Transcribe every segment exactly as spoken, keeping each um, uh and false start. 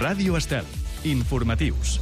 Ràdio Estel. Informatius.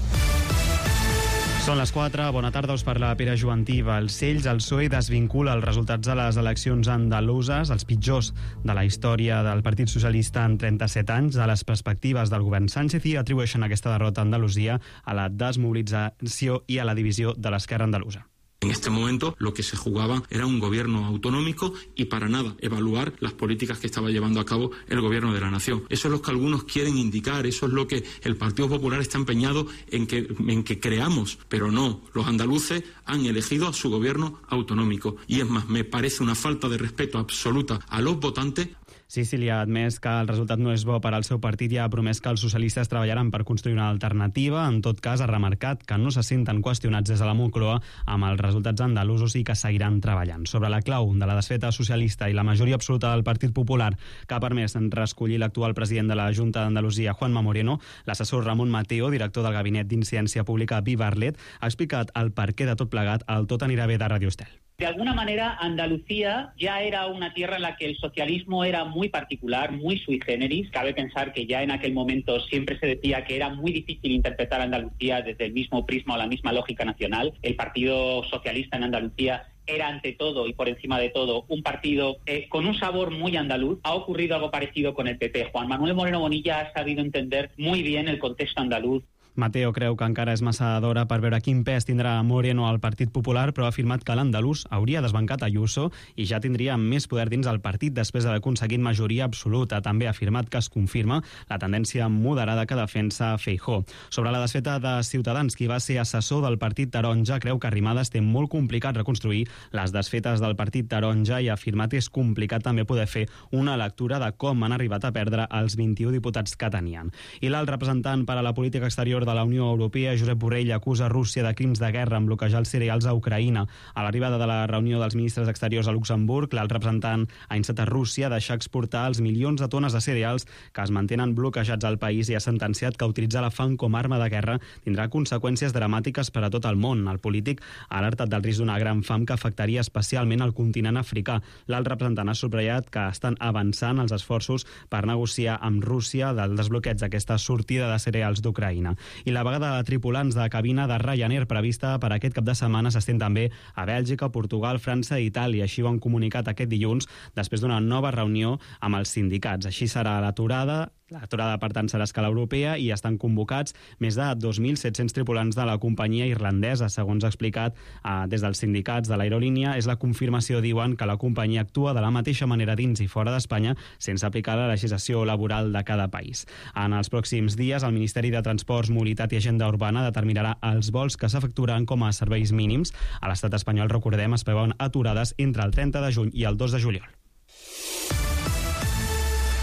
Són les quatre, bona tarda, us parla Pere Joantí. Balcells, el P S O E desvincula els resultats de les eleccions andaluses, els pitjors de la història del Partit Socialista en trenta-set anys, de les perspectives del govern Sánchez, i atribueixen aquesta derrota a Andalusia a la desmobilització i a la divisió de l'esquerra andalusa. En este momento lo que se jugaba era un gobierno autonómico y para nada evaluar las políticas que estaba llevando a cabo el gobierno de la nación. Eso es lo que algunos quieren indicar, eso es lo que el Partido Popular está empeñado en que, en que creamos, pero no, los andaluces han elegido a su gobierno autonómico y es más, me parece una falta de respeto absoluta a los votantes. Sicily ha admès que el resultat no és bo per al seu partit i ha promès que els socialistes treballaran per construir una alternativa. En tot cas, ha remarcat que no se senten qüestionats des de la Moncloa amb els resultats andalusos i que seguiran treballant. Sobre la clau de la desfeta socialista i la majoria absoluta del Partit Popular que ha permès reescollir l'actual president de la Junta d'Andalusia, Juanma Moreno, l'assessor Ramon Mateo, director del Gabinet d'Incidència Pública Viva Arlet, ha explicat el perquè de tot plegat al Tot anirà bé de Radio Estel. De alguna manera, Andalucía ya era una tierra en la que el socialismo era muy particular, muy sui generis. Cabe pensar que ya en aquel momento siempre se decía que era muy difícil interpretar a Andalucía desde el mismo prisma o la misma lógica nacional. El Partido Socialista en Andalucía era ante todo y por encima de todo un partido eh, con un sabor muy andaluz. Ha ocurrido algo parecido con el P P. Juan Manuel Moreno Bonilla ha sabido entender muy bien el contexto andaluz. Mateo creu que encara és massa d'hora per veure quin pes tindrà Moreno al Partit Popular, però ha afirmat que l'andalús hauria desbancat Ayuso i ja tindria més poder dins el partit després d'haver aconseguit majoria absoluta. També ha afirmat que es confirma la tendència moderada que defensa Feijóo. Sobre la desfeta de Ciutadans, qui va ser assessor del Partit Taronja, creu que Arrimadas té molt complicat reconstruir les desfetes del Partit Taronja i ha afirmat que és complicat també poder fer una lectura de com han arribat a perdre els vint-i-u diputats que tenien. I l'alt representant per a la política exterior de la Unió Europea, Josep Borrell, acusa Rússia de crims de guerra en bloquejar els cereals a Ucraïna. A l'arribada de la reunió dels ministres exteriors a Luxemburg, l'alt representant ha instat a Rússia a deixar exportar els milions de tones de cereals que es mantenen bloquejats al país i ha sentenciat que utilitzar la fam com a arma de guerra tindrà conseqüències dramàtiques per a tot el món. El polític ha alertat del risc d'una gran fam que afectaria especialment al continent africà. L'alt representant ha subratllat que estan avançant els esforços per negociar amb Rússia del desbloqueig d'aquesta sortida de cereals d'Ucraïna. I la vaga de tripulants de cabina de Ryanair prevista per aquest cap de setmana s'estén també a Bèlgica, Portugal, França i Itàlia. Així ho han comunicat aquest dilluns després d'una nova reunió amb els sindicats. Així serà l'aturada. L'aturada, per tant, serà a escala europea i estan convocats més de dos mil set-cents tripulants de la companyia irlandesa. Segons ha explicat eh, des dels sindicats de l'aerolínia, és la confirmació, diuen, que la companyia actua de la mateixa manera dins i fora d'Espanya sense aplicar la legislació laboral de cada país. En els pròxims dies, el Ministeri de Transports, Mobilitat i Agenda Urbana determinarà els vols que s'efectuaran com a serveis mínims. A l'estat espanyol, recordem, es preveuen aturades entre el trenta de juny i el dos de juliol.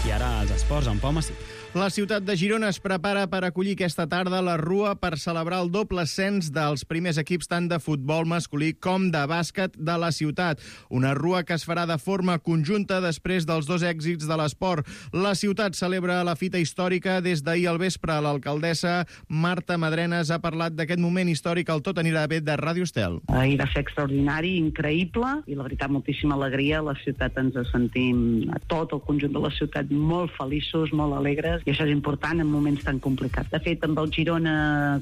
I ara els esports amb Pau Massí. La ciutat de Girona es prepara per acollir aquesta tarda la Rua per celebrar el doble ascens dels primers equips tant de futbol masculí com de bàsquet de la ciutat. Una Rua que es farà de forma conjunta després dels dos èxits de l'esport. La ciutat celebra la fita històrica des d'ahir al vespre. L'alcaldessa Marta Madrenes ha parlat d'aquest moment històric al Tot anirà bé de Ràdio Estel. Ahir va ser extraordinari, increïble, i la veritat moltíssima alegria. La ciutat ens sentim, tot el conjunt de la ciutat, molt feliços, molt alegres, i això és important en moments tan complicats. De fet, amb el Girona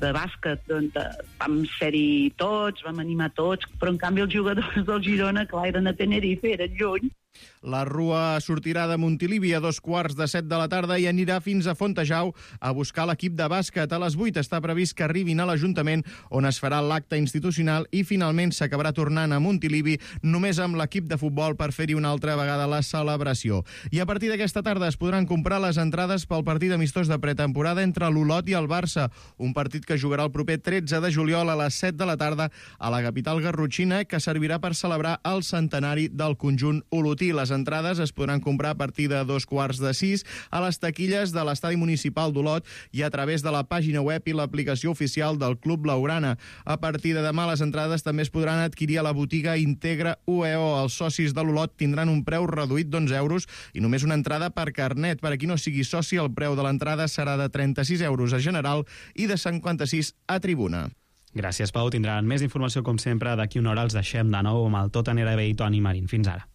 de bàsquet doncs, vam ser-hi tots, vam animar tots, però en canvi els jugadors del Girona, clar, eren a Tenerife, eren lluny. La Rua sortirà de Montilivi a dos quarts de set de la tarda i anirà fins a Fontejau a buscar l'equip de bàsquet. A les vuit està previst que arribin a l'Ajuntament, on es farà l'acte institucional, i finalment s'acabarà tornant a Montilivi només amb l'equip de futbol per fer-hi una altra vegada la celebració. I a partir d'aquesta tarda es podran comprar les entrades pel partit amistós de pretemporada entre l'Olot i el Barça, un partit que jugarà el proper tretze de juliol a les set de la tarda a la capital garrotxina, que servirà per celebrar el centenari del conjunt olotí. Les entrades es podran comprar a partir de dos quarts de sis a les taquilles de l'estadi municipal d'Olot i a través de la pàgina web i l'aplicació oficial del Club Blaugrana. A partir de demà les entrades també es podran adquirir a la botiga Integra U E O. Els socis de l'Olot tindran un preu reduït d'onze euros i només una entrada per carnet. Per a qui no sigui soci, el preu de l'entrada serà de trenta-sis euros a general i de cinquanta-sis a tribuna. Gràcies, Pau. Tindran més informació, com sempre, d'aquí una hora. Els deixem de nou amb el Tot anirà bé i Toni Marín. Fins ara.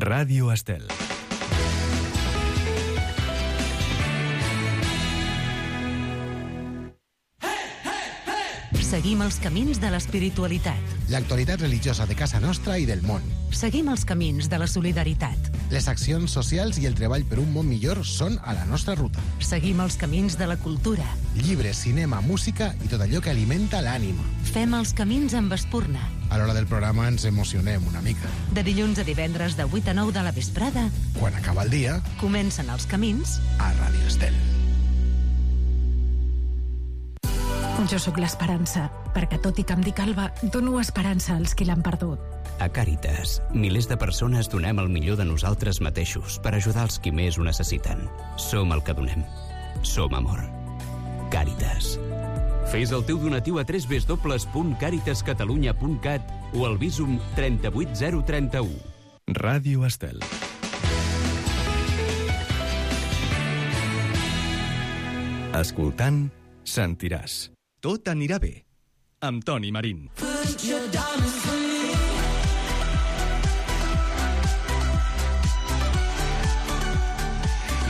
Ràdio Estel. Seguim els camins de l'espiritualitat. L'actualitat religiosa de casa nostra i del món. Seguim els camins de la solidaritat. Les accions socials i el treball per un món millor són a la nostra ruta. Seguim els camins de la cultura. Llibres, cinema, música i tot allò que alimenta l'ànima. Fem els camins amb Espurna. A l'hora del programa ens emocionem una mica. De dilluns a divendres de vuit a nou de la vesprada. Quan acaba el dia, comencen els camins a Ràdio Estel. Jo sóc l'Esperança, perquè tot i que em dic Alba, dono esperança als qui l'han perdut. A Càritas, milers de persones donem el millor de nosaltres mateixos per ajudar els qui més ho necessiten. Som el que donem. Som amor. Càritas. Fes el teu donatiu a w w w punt càritas catalunya punt cat o al Bizum trenta-vuit zero trenta-u. Ràdio Estel. Escoltant, sentiràs. Tot anirà bé. Amb Toni Marín.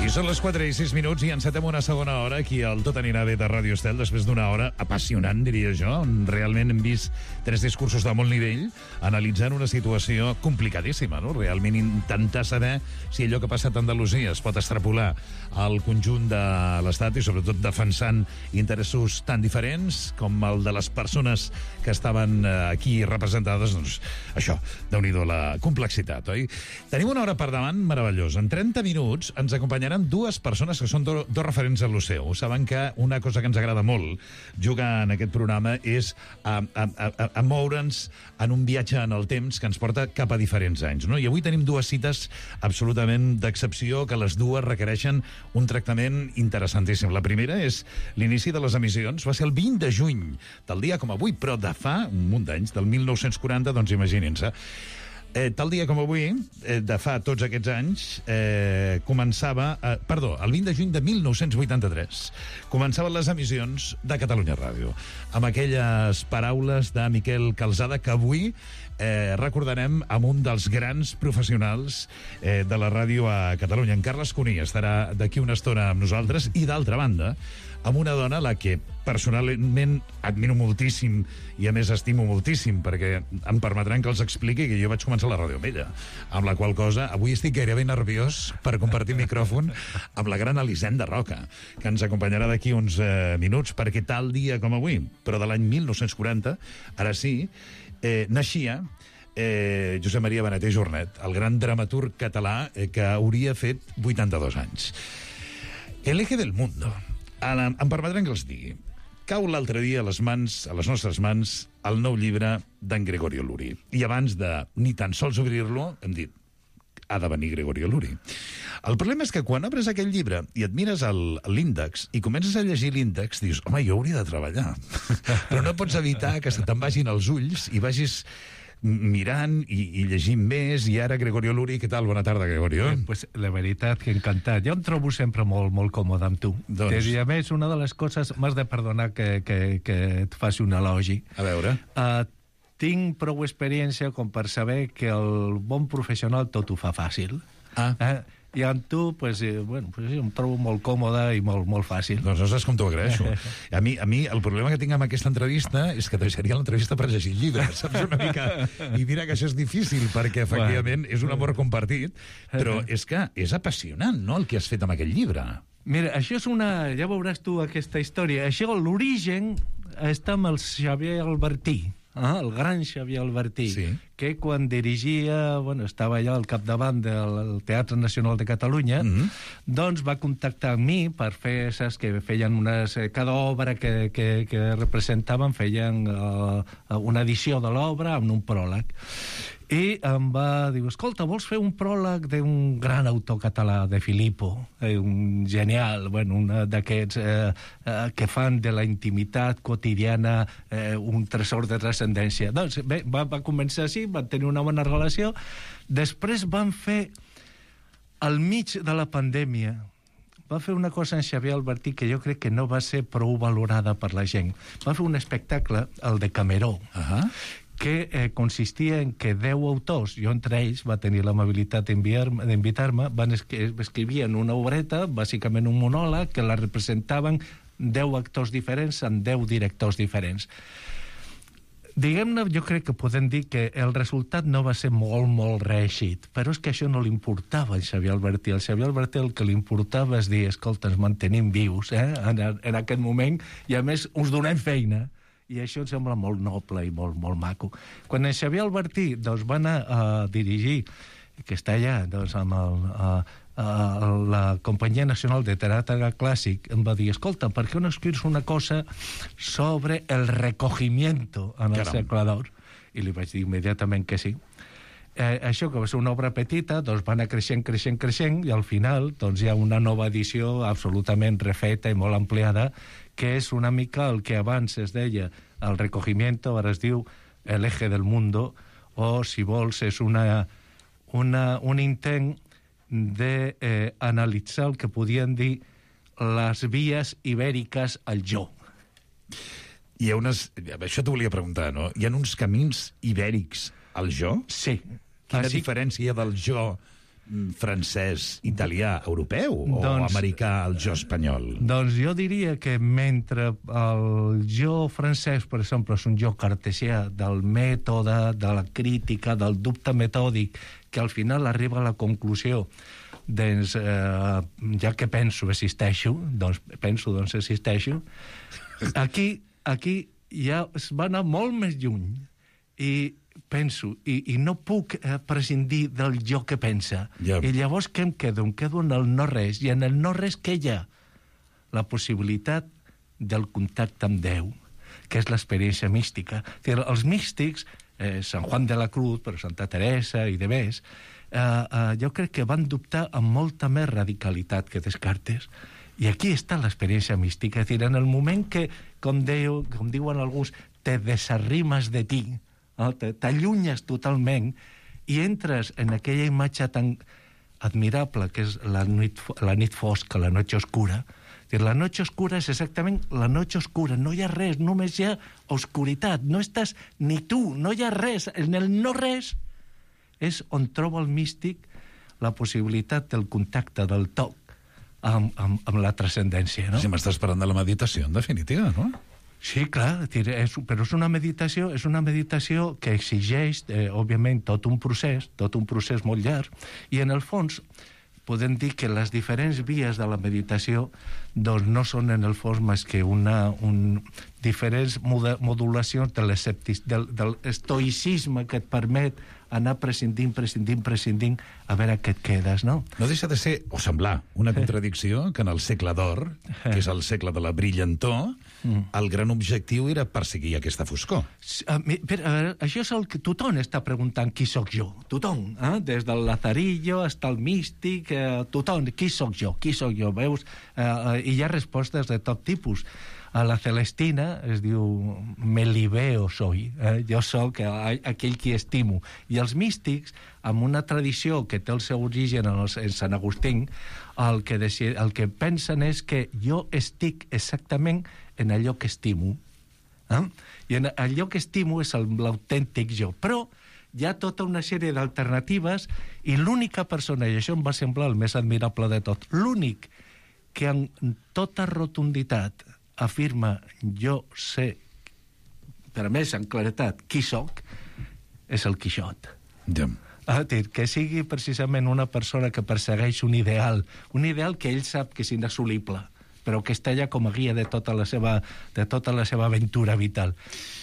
I són les quatre i sis minuts i encetem una segona hora aquí al Tot anirà bé de Ràdio Estel, després d'una hora apassionant, diria jo, on realment hem vist tres discursos de molt nivell analitzant una situació complicadíssima, no? Realment intentar saber si allò que ha passat a Andalusia es pot extrapolar al conjunt de l'Estat i sobretot defensant interessos tan diferents com el de les persones que estaven aquí representades. Doncs això, déu-n'hi-do la complexitat, oi? Tenim una hora per davant meravellosa. En trenta minuts ens acompanyaran dues persones que són do, dos referents a l'Oceu. Saben que una cosa que ens agrada molt jugar en aquest programa és a, a, a, a moure'ns en un viatge en el temps que ens porta cap a diferents anys, no? I avui tenim dues cites absolutament d'excepció, que les dues requereixen un tractament interessantíssim. La primera és l'inici de les emissions. Va ser el vint de juny del dia com avui, però de fa un munt d'anys, del mil nou-cents quaranta, doncs imaginin-se. Eh, tal dia com avui, eh, de fa tots aquests anys, eh, començava... Eh, perdó, el vint de juny de mil nou-cents vuitanta-tres començaven les emissions de Catalunya Ràdio, amb aquelles paraules de Miquel Calzada que avui eh, recordarem amb un dels grans professionals eh, de la ràdio a Catalunya. En Carles Cuní estarà d'aquí una estona amb nosaltres i, d'altra banda, amb una dona a la que personalment admiro moltíssim i a més estimo moltíssim, perquè em permetran que els expliqui que jo vaig començar la ràdio amb ella, amb la qual cosa avui estic gairebé nerviós per compartir micròfon amb la gran Elisenda Roca, que ens acompanyarà d'aquí uns eh, minuts, perquè tal dia com avui, però de l'any mil nou-cents quaranta, ara sí, eh, naixia eh, Josep Maria Benet i Jornet, el gran dramaturg català eh, que hauria fet vuitanta-dos anys. El eje del mundo. Ara, em permetran que els digui. Cau l'altre dia a les mans, a les nostres mans, el nou llibre d'en Gregorio Luri. I abans de ni tan sols obrir-lo, hem dit, ha de venir Gregorio Luri. El problema és que quan obres aquell llibre i et mires l'índex i comences a llegir l'índex, dius, home, jo hauria de treballar. Però no pots evitar que se te'n vagin els ulls i vagis mirant i, i llegint més, i ara Gregorio Luri. Què tal? Bona tarda, Gregorio. Eh, pues, la veritat que encantat. Jo em trobo sempre molt, molt còmode amb tu. Doncs... I a més, una de les coses... M'has de perdonar que, que, que et faci un elogi. A veure... Uh, tinc prou experiència com per saber que el bon professional tot ho fa fàcil. Ah. Uh, I amb tu, pues, eh, bueno, pues, em trobo molt còmode i molt, molt fàcil. Doncs no saps com t'ho agraeixo. A mi, a mi el problema que tinc amb aquesta entrevista és que deixaria l'entrevista per llegir llibres, saps, una mica? I mira que això és difícil, perquè efectivament és un amor compartit, però és que és apassionant, no?, el que has fet amb aquest llibre. Mira, això és una... Ja veuràs tu aquesta història. Això, l'origen, està amb el Xavier Albertí. Ah, el gran Xavier Albertí, sí. Que quan dirigia, bueno, estava allà al capdavant del Teatre Nacional de Catalunya, mm-hmm. doncs va contactar amb mi per fer, saps, que feien unes... Cada obra que, que, que representaven feien uh, una edició de l'obra amb un pròleg. I em va dir, escolta, vols fer un pròleg d'un gran autor català, de Filippo, eh, un genial, bueno, un d'aquests eh, eh, que fan de la intimitat quotidiana eh, un tresor de transcendència. Doncs bé, va, va començar així, van tenir una bona relació. Després van fer, al mig de la pandèmia, va fer una cosa en Xavier Albertí que jo crec que no va ser prou valorada per la gent. Va fer un espectacle, el de Cameró, uh-huh. que eh, consistia en que deu autors, jo entre ells va tenir l'amabilitat d'invitar-me, van escri escrivien una obreta, bàsicament un monòleg, que la representaven deu actors diferents amb deu directors diferents. Diguem-ne, jo crec que podem dir que el resultat no va ser molt, molt reeixit, però és que això no li importava al Xavier Albertí. Al Xavier Albertí el que li importava és dir, escolta, ens mantenim vius eh, en, en aquest moment, i a més us donem feina. I això em sembla molt noble i molt, molt maco. Quan el Xavier Albertí doncs, va anar a dirigir, que està allà doncs, amb el, a, a la Companyia Nacional de Teatre Clàssic, em va dir, escolta, per què no escrius una cosa sobre el recogimiento en el segle d'or? I li vaig dir immediatament que sí. Eh, això, que va ser una obra petita, doncs va anar creixent, creixent, creixent, i al final doncs, hi ha una nova edició absolutament refeta i molt ampliada, que és una mica el que abans es deia el recogimiento, ara es diu el eje del mundo, o, si vols, és una, una, un intent d'analitzar eh, el que podien dir les vies ibèriques al jo. Hi ha unes... Això t'ho volia preguntar, no? Hi ha uns camins ibèrics al jo? Sí. Quina ah, sí? diferència del jo francès, italià, europeu o doncs, americà al jo espanyol? Doncs jo diria que mentre el jo francès, per exemple, és un jo cartesià del mètode, de la crítica, del dubte metòdic, que al final arriba a la conclusió doncs, eh, ja que penso, existeixo, doncs penso, doncs existeixo. Aquí, aquí ja es va anar molt més lluny i penso, i, i no puc eh, prescindir del jo que pensa. Yeah. I llavors què em quedo? Em quedo en el no-res, i en el no-res què hi ha? La possibilitat del contacte amb Déu, que és l'experiència mística. Dir, els místics, eh, Sant Juan de la Cruz, però Santa Teresa i demés, eh, eh, jo crec que van dubtar amb molta més radicalitat que Descartes. I aquí està l'experiència mística. És dir, en el moment que, com, Déu, com diuen alguns, te desarrimes de ti, no? T'allunyes totalment i entres en aquella imatge tan admirable que és la nit, la nit fosca, la noche oscura. La noche oscura és exactament la noche oscura, no hi ha res, només hi ha oscuritat, no estàs ni tu, no hi ha res, en el no res és on troba el místic la possibilitat del contacte, del toc amb, amb, amb la transcendència, no? Si m'estàs parlant de la meditació, en definitiva, no? Sí, clar, és, però és una meditació, és una meditació que exigeix, eh, òbviament, tot un procés, tot un procés molt llarg, i en el fons podem dir que les diferents vies de la meditació doncs no són en el fons més que una, un, diferents modulacions de del, del estoïcisme que et permet anar prescindint, prescindint, prescindint, a veure què et quedes, no? No deixa de ser, o semblar, una contradicció que en el segle d'or, que és el segle de la brillantor, el gran objectiu era perseguir aquesta foscor. Però, això és el que tothom està preguntant qui sóc jo, tothom, eh? Des del Lazarillo fins al místic, eh, tothom, qui sóc jo, qui sóc jo, veus? Eh, I hi ha respostes de tot tipus. A la Celestina es diu me li veo soy, eh? Jo sóc aquell qui estimo. I els místics, amb una tradició que té el seu origen en, els, en Sant Agustín, el que, deci, el que pensen és que jo estic exactament en allò que estimo. Eh? I en allò que estimo és l'autèntic jo. Però hi ha tota una sèrie d'alternatives i l'única persona, i això em va semblar el més admirable de tot, l'únic que en tota rotunditat afirma jo sé, per a més en claretat, qui soc, és el Quixot. Ja. Ah, que sigui precisament una persona que persegueix un ideal, un ideal que ell sap que és inassolible, però que està allà com a guia de tota la seva, de tota la seva aventura vital.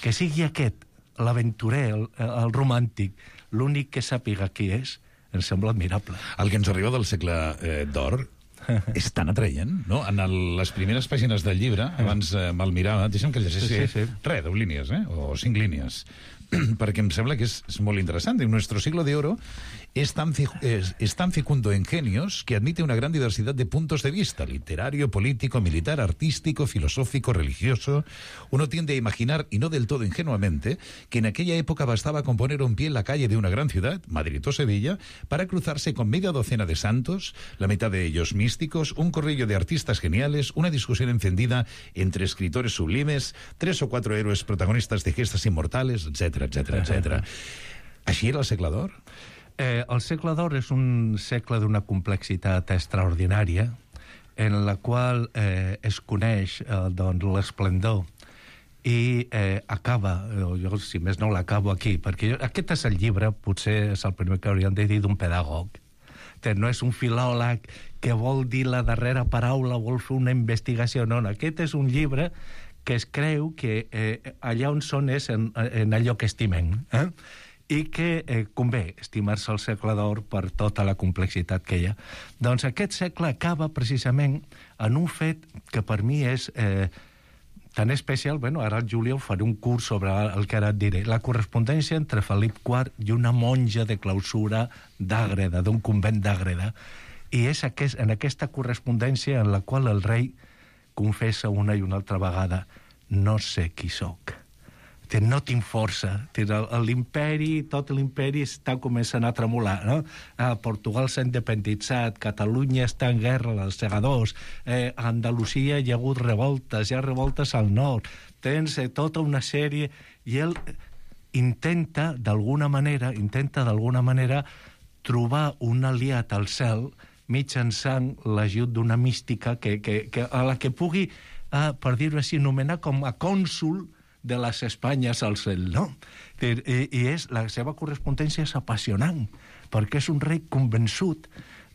Que sigui aquest, l'aventurer, el, el romàntic, l'únic que sàpiga qui és, em sembla admirable. El que ens arriba del segle eh, d'or és tan atraient, no? En el, les primeres pàgines del llibre, abans eh, me'l mirava, deixa'm que llegeixi sí, sí, sí. res, deu línies, eh? O cinc línies, perquè em sembla que és, és molt interessant. Nuestro siglo de oro es tan, es, es tan fecundo en genios que admite una gran diversidad de puntos de vista, literario, político, militar, artístico, filosófico, religioso. Uno tiende a imaginar, y no del todo ingenuamente, que en aquella época bastaba con poner un pie en la calle de una gran ciudad, Madrid o Sevilla, para cruzarse con media docena de santos, la mitad de ellos místicos, un corrillo de artistas geniales, una discusión encendida entre escritores sublimes, tres o cuatro héroes protagonistas de gestas inmortales, etcétera. etcètera, etcètera, etcètera. Així era el segle d'or? Eh, el segle d'or és un segle d'una complexitat extraordinària en la qual eh, es coneix eh, doncs, l'esplendor i eh, acaba, jo si més no l'acabo aquí, perquè jo, aquest és el llibre, potser és el primer que hauríem de dir d'un pedagog. No és un filòleg que vol dir la darrera paraula, vol fer una investigació, no, no. Aquest és un llibre que es creu que eh, allà on són és en, en allò que estimem, eh? I que eh, convé estimar-se el segle d'or per tota la complexitat que hi ha. Doncs aquest segle acaba precisament en un fet que per mi és eh, tan especial, bueno, ara el juliol faré un curs sobre el que ara et diré, la correspondència entre Felip quart i una monja de clausura d'Àgreda, d'un convent d'Àgreda. I és aquest, en aquesta correspondència en la qual el rei confessa una i una altra vegada: no sé qui sóc. No tinc força. L'imperi, tot l'imperi està començant a tremolar, no? Ah, Portugal s'ha independitzat, Catalunya està en guerra, els segadors, eh, a Andalusia hi ha hagut revoltes, hi ha revoltes al nord, tens eh, tota una sèrie... I ell intenta, d'alguna manera, intenta d'alguna manera trobar un aliat al cel mitjançant l'ajut d'una mística que, que, que, a la que pugui, eh, per dir-ho així, nomenar com a cònsul de les Espanyes al cel, no? I, i és, la seva correspondència és apassionant, perquè és un rei convençut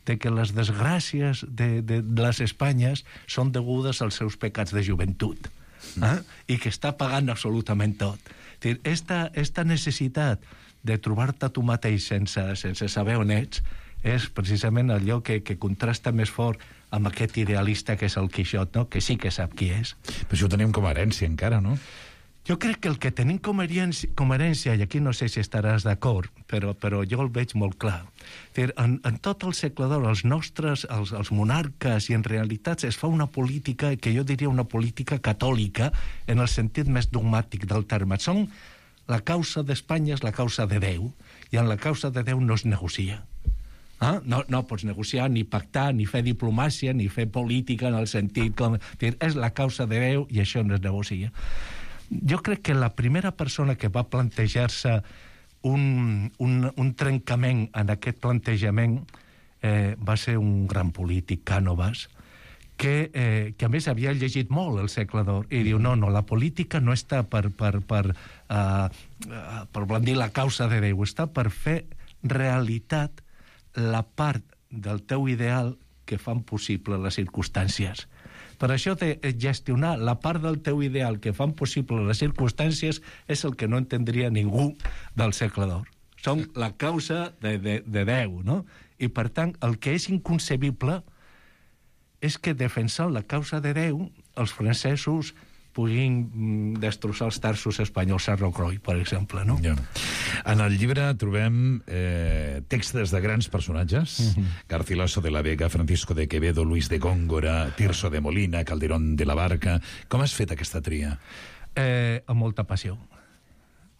de que les desgràcies de, de, de les Espanyes són degudes als seus pecats de joventut, eh? I que està pagant absolutament tot. Esta, esta necessitat de trobar-te tu mateix sense, sense saber on ets és precisament allò que, que contrasta més fort amb aquest idealista que és el Quixot, no? Que sí que sap qui és. Però això ho tenim com a herència encara, no? Jo crec que el que tenim com a herència, com a herència, i aquí no sé si estaràs d'acord, però, però jo el veig molt clar. En, en tot el segle d'or, els nostres, els, els monarques, i en realitat es fa una política, que jo diria una política catòlica, en el sentit més dogmàtic del terme. Són la causa d'Espanya és la causa de Déu, i en la causa de Déu no es negocia. Ah? No, no pots negociar, ni pactar, ni fer diplomàcia, ni fer política en el sentit com... És la causa de Déu i això no es negocia. Jo crec que la primera persona que va plantejar-se un, un, un trencament en aquest plantejament eh, va ser un gran polític, Cànovas, que, eh, que a més havia llegit molt el segle d'or, i diu, no, no, la política no està per, per, per, uh, per blandir la causa de Déu, està per fer realitat la part del teu ideal que fan possible les circumstàncies. Per això de gestionar la part del teu ideal que fan possible les circumstàncies és el que no entendria ningú del segle d'or. Som la causa de, de, de Déu, no? I, per tant, el que és inconcebible és que defensant la causa de Déu els francesos puguin destrossar els tarsos espanyols a Rocroi, per exemple, no? Ja. En el llibre trobem eh, textos de grans personatges, uh-huh. Garcilaso de la Vega, Francisco de Quevedo, Luis de Góngora, Tirso de Molina, Calderón de la Barca... Com has fet aquesta tria? Eh, amb molta passió.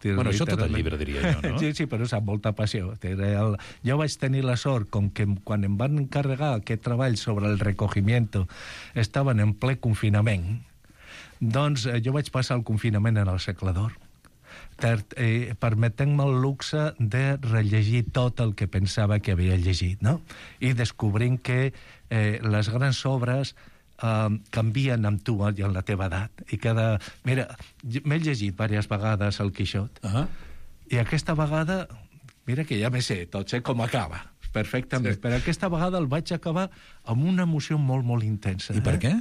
Bueno, això tot el llibre, diria jo, no? Sí, sí, però és amb molta passió. El... Jo vaig tenir la sort, com que quan em van encarregar aquest treball sobre el recogimiento, estaven en ple confinament, doncs eh, jo vaig passar el confinament en el segle d'or, eh, permetent-me el luxe de rellegir tot el que pensava que havia llegit, no? I descobrint que eh, les grans obres eh, canvien amb tu i amb la teva edat. I cada... Mira, m'he llegit diverses vegades el Quixot, uh-huh. I aquesta vegada, mira que ja me sé, tot sé com acaba, perfectament, sí. Però aquesta vegada el vaig acabar amb una emoció molt, molt intensa. I per eh? què?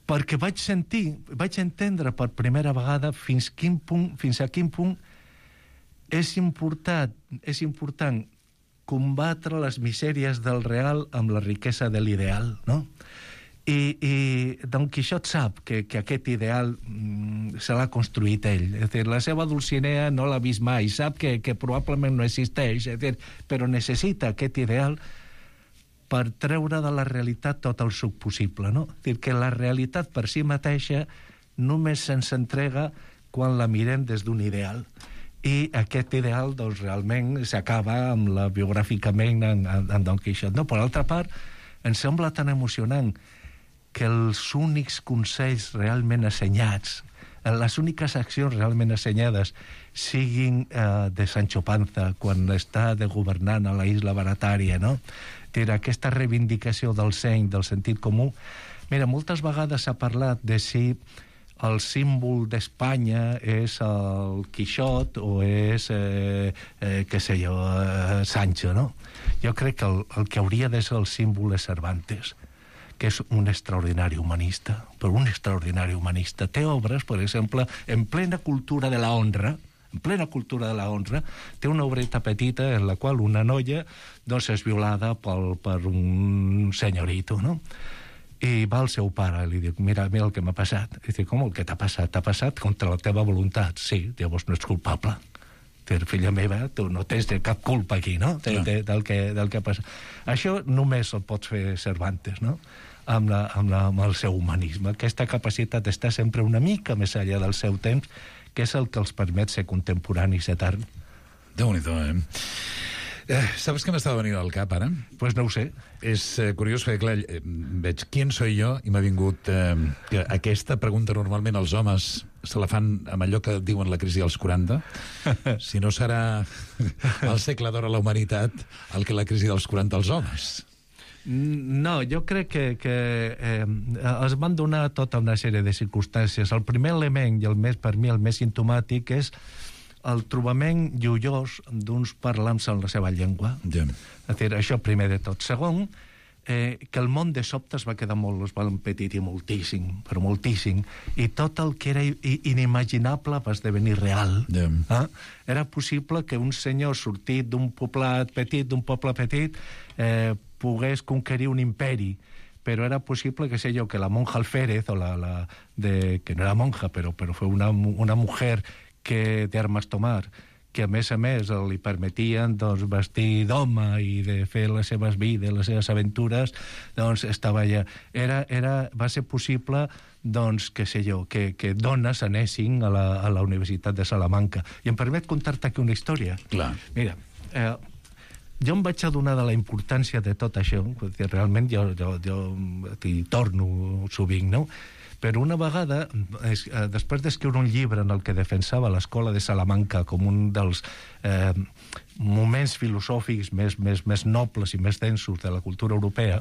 Perquè vaig sentir, vaig entendre per primera vegada fins, quin punt, fins a quin punt és important, és important combatre les misèries del real amb la riquesa de l'ideal, no? I, i Don Quixot sap que, que aquest ideal mm, se l'ha construït ell. És dir, la seva Dulcinea no l'ha vist mai, sap que, que probablement no existeix, és dir, però necessita aquest ideal per treure de la realitat tot el suc possible, no? És dir, que la realitat per si mateixa només se'ns entrega quan la mirem des d'un ideal. I aquest ideal, doncs, realment s'acaba amb la biogràficament en, en, en Don Quixot. No? Per altra part, em sembla tan emocionant que els únics consells realment assenyats les úniques accions realment assenyades siguin eh, de Sancho Panza quan està de governant a la isla Baratària, no? Era aquesta reivindicació del seny, del sentit comú. Mira, moltes vegades s'ha parlat de si el símbol d'Espanya és el Quixot o és, eh, eh, què sé jo, eh, Sancho, no? Jo crec que el, el que hauria de ser el símbol és Cervantes, que és un extraordinari humanista, però un extraordinari humanista. Té obres, per exemple, en plena cultura de la honra, en plena cultura de la honra, té una obreta petita en la qual una noia doncs, és violada pel, per un senyorito, no? I va al seu pare i li diu, mira, mira el que m'ha passat. I diu, com el que t'ha passat? T'ha passat contra la teva voluntat. Sí, llavors no ets culpable. Dir, filla meva, tu no tens cap culpa aquí, no? De, de, del, que, del que ha passat. Això només el pots fer Cervantes, no? Amb, la, amb, la, amb el seu humanisme. Aquesta capacitat d'estar sempre una mica més enllà del seu temps, que és el que els permet ser contemporanis etern. Déu-n'hi-do, eh? Eh, saps què m'estava venint al cap, ara? Pues no ho sé. És eh, curiós, perquè, clar, eh, veig «Quién soy yo?» i m'ha vingut... Eh, que aquesta pregunta normalment els homes se la fan amb allò que diuen la crisi dels quaranta. Si no serà el segle d'or a la humanitat el que la crisi dels quaranta als homes. No, jo crec que, que eh, es van donar tota una sèrie de circumstàncies. El primer element, i el més, per mi el més simptomàtic, és el trobament lluiós d'uns parlants en la seva llengua. Yeah. És a dir, això primer de tot. Segon, eh, que el món de sobte es va quedar molt, es va empetitir moltíssim, però moltíssim, i tot el que era inimaginable va esdevenir real. Yeah. Eh? Era possible que un senyor sortit d'un poblat petit, d'un poble petit, eh, pogués conquerir un imperi, però era possible, que sé jo, que la monja Alférez, o la, la de, que no era monja, però, però fue una, una mujer que de armes tomar, que a més a més li permetien doncs, vestir d'home i de fer les seves vides, les seves aventures, doncs estava allà. Era, era, va ser possible doncs, que sé jo, que, que dones anessin a la, a la Universitat de Salamanca. I em permet contar-te aquí una història. Clar. Mira, eh, jo em vaig adonar de la importància de tot això, perquè realment jo, jo, jo hi torno sovint, no? Però una vegada, eh, després d'escriure un llibre en el que defensava l'escola de Salamanca com un dels eh, moments filosòfics més, més, més nobles i més densos de la cultura europea,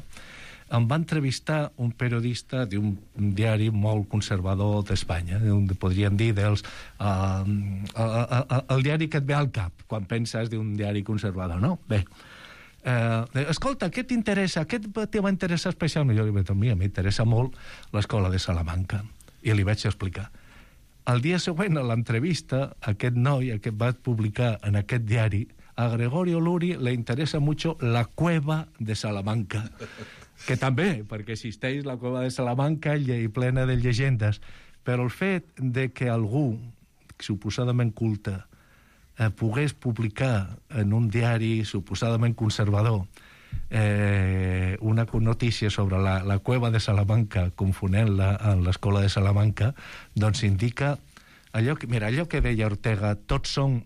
em va entrevistar un periodista d'un diari molt conservador d'Espanya, podríem dir dels, uh, uh, uh, uh, el diari que et ve al cap quan penses d'un diari conservador, no? Bé, Uh, escolta, què t'interessa? Què te va interessar especialment? Jo li vaig dir, mira, m'interessa molt l'escola de Salamanca. I li vaig explicar. El dia següent, a l'entrevista, aquest noi, aquest va publicar en aquest diari, a Gregorio Luri le interessa mucho la cueva de Salamanca. Que també, perquè existeix la cueva de Salamanca i plena de llegendes. Però el fet de que algú, suposadament culte, Eh, pogués publicar en un diari suposadament conservador eh, una notícia sobre la, la cueva de Salamanca, confonent-la amb l'escola de Salamanca, doncs indica allò que, mira, allò que deia Ortega, tots són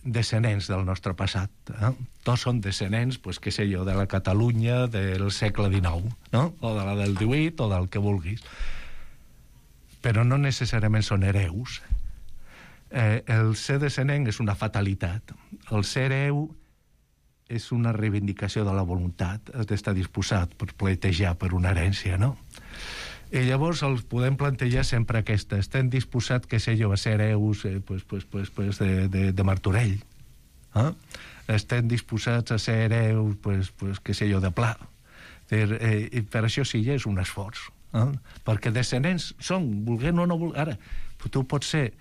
descendents del nostre passat, eh? Tots són descendents, pues, què sé jo, de la Catalunya del segle dinou, no? O de la del divuit, o del que vulguis. Però no necessàriament són hereus. Eh, el ser descendent és una fatalitat. El ser hereu és una reivindicació de la voluntat. Has d'estar disposat per pleitejar per una herència, no? I llavors els podem plantejar sempre aquesta. Estem disposats, que sé jo, a ser hereus eh, pues, pues, pues, pues de, de, de Martorell. Eh? Estem disposats a ser hereus, pues, pues, que sé jo, de Pla. Eh, I per això sí, ja és un esforç. Eh? Perquè descendents són, volguent o no volguent. Ara, tu pots ser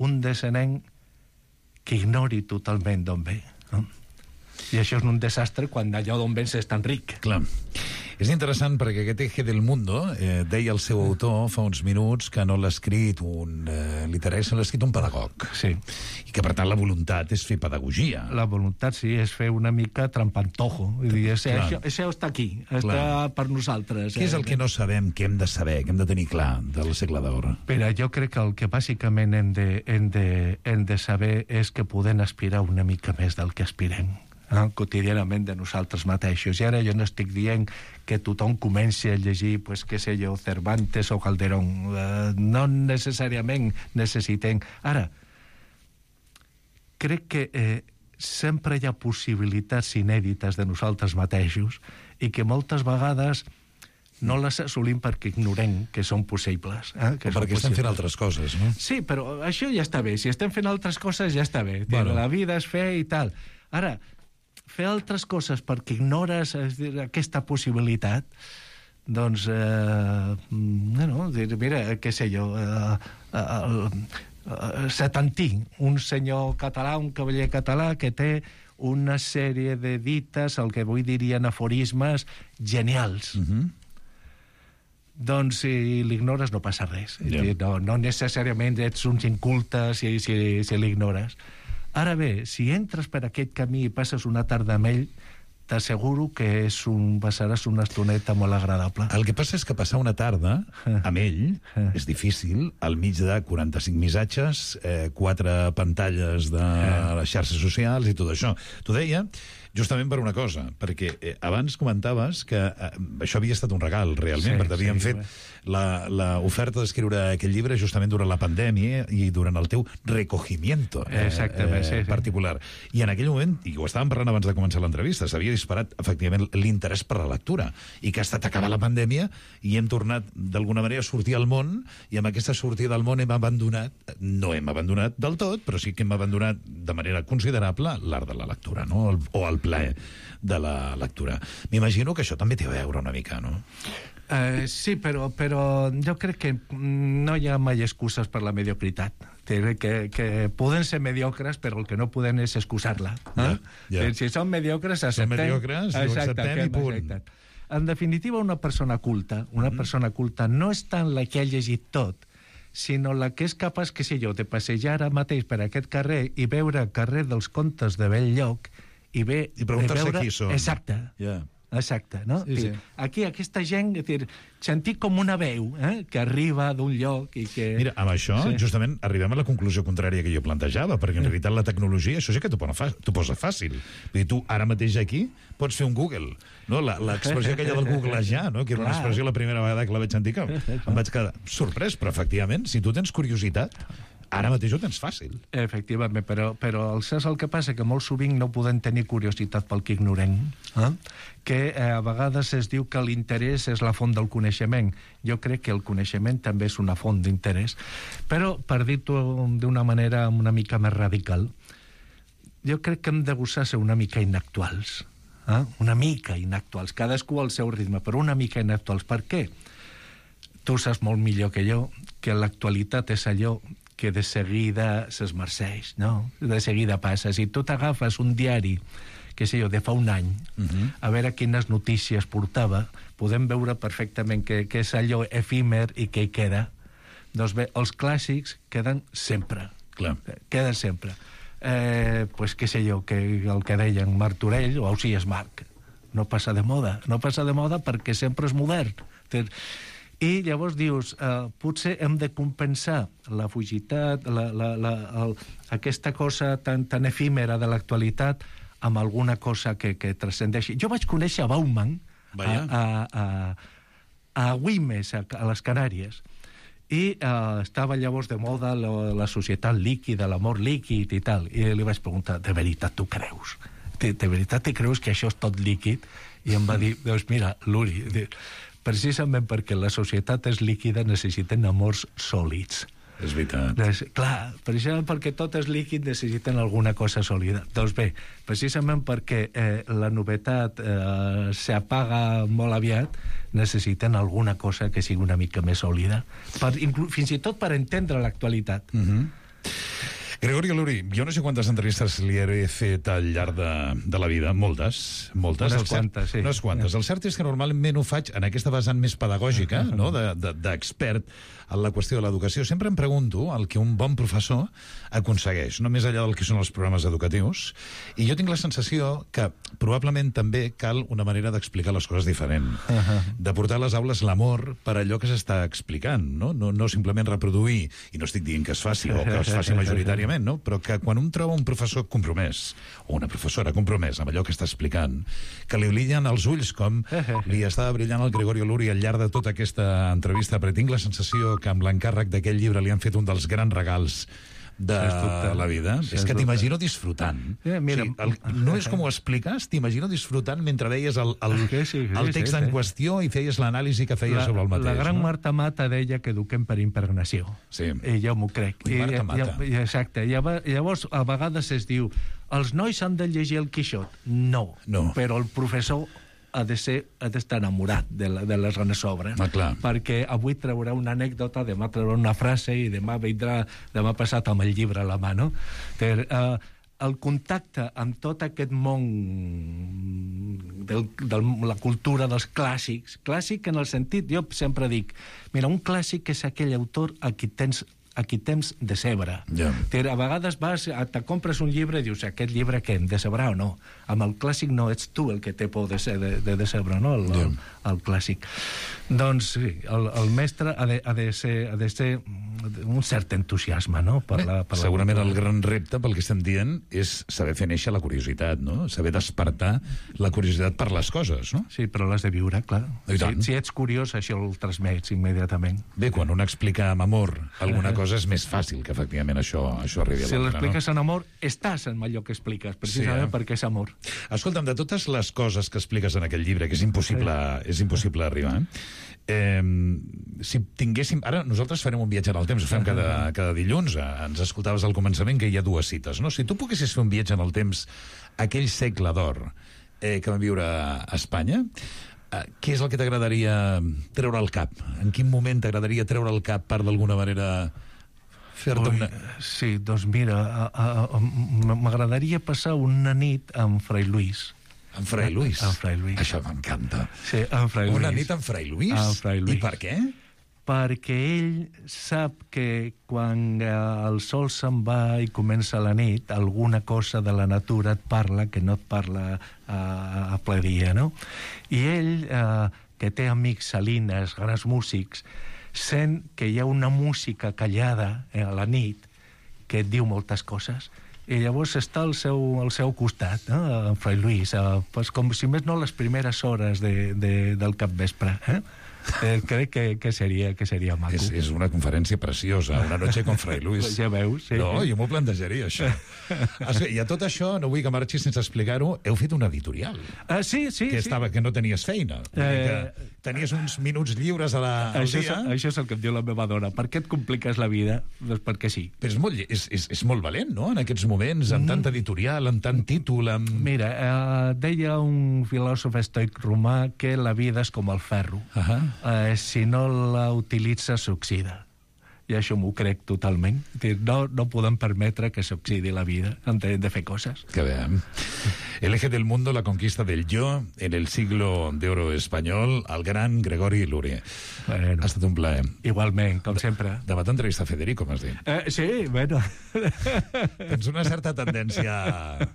un descendent que ignori totalment d'on ve. No? I això és un desastre quan allò d'on vens és tan ric. Clar. És interessant perquè aquest Eje del Mundo, eh, deia el seu autor fa uns minuts que no l'ha escrit un eh, literari, l'ha escrit un pedagog. Sí. I que, per tant, la voluntat és fer pedagogia. La voluntat, sí, és fer una mica trampantojo. Vull dir, això, això, això està aquí, està clar. Per nosaltres. Què és el eh? que no sabem, que hem de saber, que hem de tenir clar del segle d'or? Però jo crec que el que bàsicament hem de, hem de, hem de saber és que podem aspirar una mica més del que aspirem. eh, quotidianament de nosaltres mateixos. I ara jo no estic dient que tothom comenci a llegir, pues, què sé jo, Cervantes o Calderón. Eh, no necessàriament necessitem... Ara, crec que eh, sempre hi ha possibilitats inèdites de nosaltres mateixos i que moltes vegades no les assolim perquè ignorem que són possibles. Eh? Que o perquè són estem fent altres coses, no? Sí, però això ja està bé. Si estem fent altres coses, ja està bé. Bueno. La vida és fer i tal. Ara, fer altres coses perquè ignores és dir, aquesta possibilitat, doncs, eh, bueno, dir, mira, què sé jo, eh, eh, eh, Setantí, un senyor català, un cavaller català que té una sèrie de dites, el que avui dirien aforismes, genials. Mhm. Doncs si l'ignores no passa res. Yeah. No, no necessàriament ets un inculte si, si, si l'ignores. Ara bé, si entres per aquest camí i passes una tarda amb ell, t'asseguro que és un, passaràs una estoneta molt agradable. El que passa és que passar una tarda amb ell és difícil, al mig de quaranta-cinc missatges, eh, quatre pantalles de les xarxes socials i tot això. T'ho deia justament per una cosa, perquè eh, abans comentaves que eh, això havia estat un regal, realment, Sí, perquè t'havien sí, fet la, la oferta d'escriure aquest llibre justament durant la pandèmia i durant el teu recogimiento eh, Exactament, eh, sí, sí. particular. I en aquell moment, i ho estàvem parlant abans de començar l'entrevista, s'havia disparat, efectivament, l'interès per la lectura, i que ha estat acabar la pandèmia i hem tornat, d'alguna manera, a sortir al món, i amb aquesta sortida al món hem abandonat, no hem abandonat del tot, però sí que hem abandonat de manera considerable l'art de la lectura, no? El, o el plaer de la lectura. M'imagino que això també té a veure una mica, no? Uh, sí, però, però jo crec que no hi ha mai excuses per la mediocritat. Que, que poden ser mediocres, però el que no poden és excusar-la. Eh? Ja, ja. Si són mediocres, acceptem. Són mediocres, ho acceptem i punt. Exacte. En definitiva, una persona culta, una mm. persona culta no és tant la que ha llegit tot, sinó la que és capaç, que sé jo, de passejar ara mateix per aquest carrer i veure el carrer dels Contes de Bell-lloc i, ve, I preguntar-se veure... qui són. Exacte. Yeah. Exacte, no? Sí, sí. Aquí aquesta gent, és dir, sentir com una veu eh, que arriba d'un lloc i que... Mira, amb això, sí. justament, arribem a la conclusió contrària que jo plantejava, perquè en realitat la tecnologia, això sí que t'ho posa fàcil. Vull dir, tu ara mateix aquí pots fer un Google, no? L'expressió aquella del googlejar, no? Que era una expressió la primera vegada que la vaig sentir, que em vaig quedar sorprès, però efectivament, si tu tens curiositat, ara mateix ho tens fàcil. Efectivament, però, però saps el que passa? Que molt sovint no podem tenir curiositat pel que ignorem. Eh? Que eh, a vegades es diu que l'interès és la font del coneixement. Jo crec que el coneixement també és una font d'interès. Però, per dir-ho d'una manera una mica més radical, jo crec que hem de gosar ser una mica inactuals. Eh? Una mica inactuals. Cadascú al seu ritme, però una mica inactuals. Per què? Tu saps molt millor que jo que l'actualitat és allò que de seguida s'esmerceix, no? De seguida passa. Si tu t'agafes un diari, que sé jo, de fa un any, uh-huh. a veure quines notícies portava, podem veure perfectament que, que és allò efímer i que hi queda. Doncs bé, els clàssics queden sempre. Clar. Queden sempre. Eh, pues què sé jo, que el que deien Martorell, o sigui, és Marc. No passa de moda. No passa de moda perquè sempre és modern. I llavors dius, eh, potser hem de compensar la fugitat, la, la, la, el, aquesta cosa tan, tan efímera de l'actualitat amb alguna cosa que, que transcendeixi. Jo vaig conèixer a Bauman a, a, a, a Güímez, a, a les Canàries, i eh, estava llavors de moda la, la societat líquida, l'amor líquid i tal, i li vaig preguntar, de veritat tu creus? De, de veritat te creus que això és tot líquid? I em va dir, doncs mira, Luri, precisament perquè la societat és líquida necessiten amors sòlids. És veritat. Des, clar, precisament perquè tot és líquid necessiten alguna cosa sòlida. Doncs bé, precisament perquè eh, la novetat eh, s'apaga molt aviat, necessiten alguna cosa que sigui una mica més sòlida, per, inclu, fins i tot per entendre l'actualitat. Mhm. Gregorio Luri, jo no sé quantes entrevistes li he fet al llarg de, de la vida, moltes, moltes. Unes quantes, sí. Unes quantes. El cert és que normalment ho faig en aquesta vessant més pedagògica, no? d'expert en la qüestió de l'educació. Sempre em pregunto el que un bon professor aconsegueix, no més enllà del que són els programes educatius, i jo tinc la sensació que probablement també cal una manera d'explicar les coses diferent, de portar a les aules l'amor per allò que s'està explicant, no? No, no simplement reproduir, i no estic dient que es faci o que es faci majoritàriament, perfectament, no? Però que quan un troba un professor compromès, o una professora compromès amb allò que està explicant, que li brillen els ulls com li estava brillant el Gregorio Luri al llarg de tota aquesta entrevista, però tinc la sensació que amb l'encàrrec d'aquest llibre li han fet un dels grans regals de la vida. És que t'imagino disfrutant. Yeah, mira, sí, el, no és com ho expliques, t'imagino disfrutant mentre veies el, el, sí, sí, sí, el text sí, sí. en qüestió i feies l'anàlisi que feies la, sobre el mateix. La gran no? Marta Mata deia que eduquem per impregnació. Sí. I jo m'ho crec. I Marta I, Mata. I, exacte. I llavors, a vegades es diu els nois han de llegir el Quixot. No. no. Però el professor ha de ser, ha d'estar enamorat de, la, de les grans obres. Ah, clar. Perquè avui traurà una anècdota, demà traurà una frase i demà vindrà, demà passat amb el llibre a la mà, no? Per, uh, el contacte amb tot aquest món de la cultura dels clàssics, clàssic en el sentit, jo sempre dic, mira, un clàssic és aquell autor a qui tens a qui temps decebre. Yeah. A vegades vas, te compres un llibre i dius, aquest llibre què, em decebrà o no? Amb el clàssic no, ets tu el que té por de, de, de decebre, no? El, yeah. el, el clàssic. Doncs sí, el, el mestre ha de, ha, de ser, ha de ser un cert entusiasme, no? Per Bé, la, per segurament la el gran repte, pel que estem dient, és saber fer néixer la curiositat, no? Saber despertar la curiositat per les coses, no? Sí, però l'has de viure, clar. Si, si ets curiós, això el transmets immediatament. Bé, quan un explica amb amor alguna cosa, cosa és més fàcil que efectivament això, això arribi a si l'altre. Si l'expliques no? en amor, estàs en allò que expliques, precisament sí, eh? perquè és amor. Escolta'm, de totes les coses que expliques en aquell llibre, que és impossible, sí. és impossible arribar, eh, si tinguéssim... Ara nosaltres farem un viatge en el temps, ho fem cada, cada dilluns, ens escoltaves al començament que hi ha dues cites, no? Si tu poguessis fer un viatge en el temps aquell segle d'or eh, que vam viure a Espanya, què és el que t'agradaria treure al cap? En quin moment t'agradaria treure al cap per d'alguna manera fer-te una... Sí, doncs mira, m'agradaria passar una nit amb Fray Luis. Amb Fray Luis? Amb Fray Luis. Això m'encanta. Sí, amb Fray Luis. Una nit amb Fray Luis? Amb Fray Luis. I per què? Perquè ell sap que quan el sol se'n va i comença la nit, alguna cosa de la natura et parla que no et parla a, a ple dia, no? I ell, eh, que té amics salines, grans músics, sent que hi ha una música callada eh, a la nit que et diu moltes coses. I llavors està al seu, al seu costat, no? En Fray Luis, eh, pues com si més no les primeres hores de, de, del capvespre, eh? Eh, crec que, que, seria, que seria maco. És, és una conferència preciosa, una noche con Fray Luis. Ja veus, sí. No, jo m'ho plantejaria, això. I a tot això, no vull que marxis sense explicar-ho, heu fet un editorial. Uh, sí, sí. Que, sí. estava, que no tenies feina. Eh... Que tenies uns minuts lliures a la, al això dia. És, això és el que em diu la meva dona. Per què et compliques la vida? Doncs perquè sí. Però és molt, és, és, és molt valent, no?, en aquests moments, amb mm. tant editorial, amb tant títol, amb... Mira, eh, deia un filòsof estoic romà que la vida és com el ferro. Uh -huh. eh, si no la utilitza, s'oxida. I això m'ho crec totalment. No, no podem permetre que s'oxidi la vida. Hem de, de fer coses. Que bé. El eje del mundo, la conquista del yo, en el siglo de oro español, el gran Gregori Luri. Bueno, ha estat un plaer. Igualment, com sempre. Demà t'entrevista Federico, m'has dit. Eh, sí, bueno. Tens una certa tendència...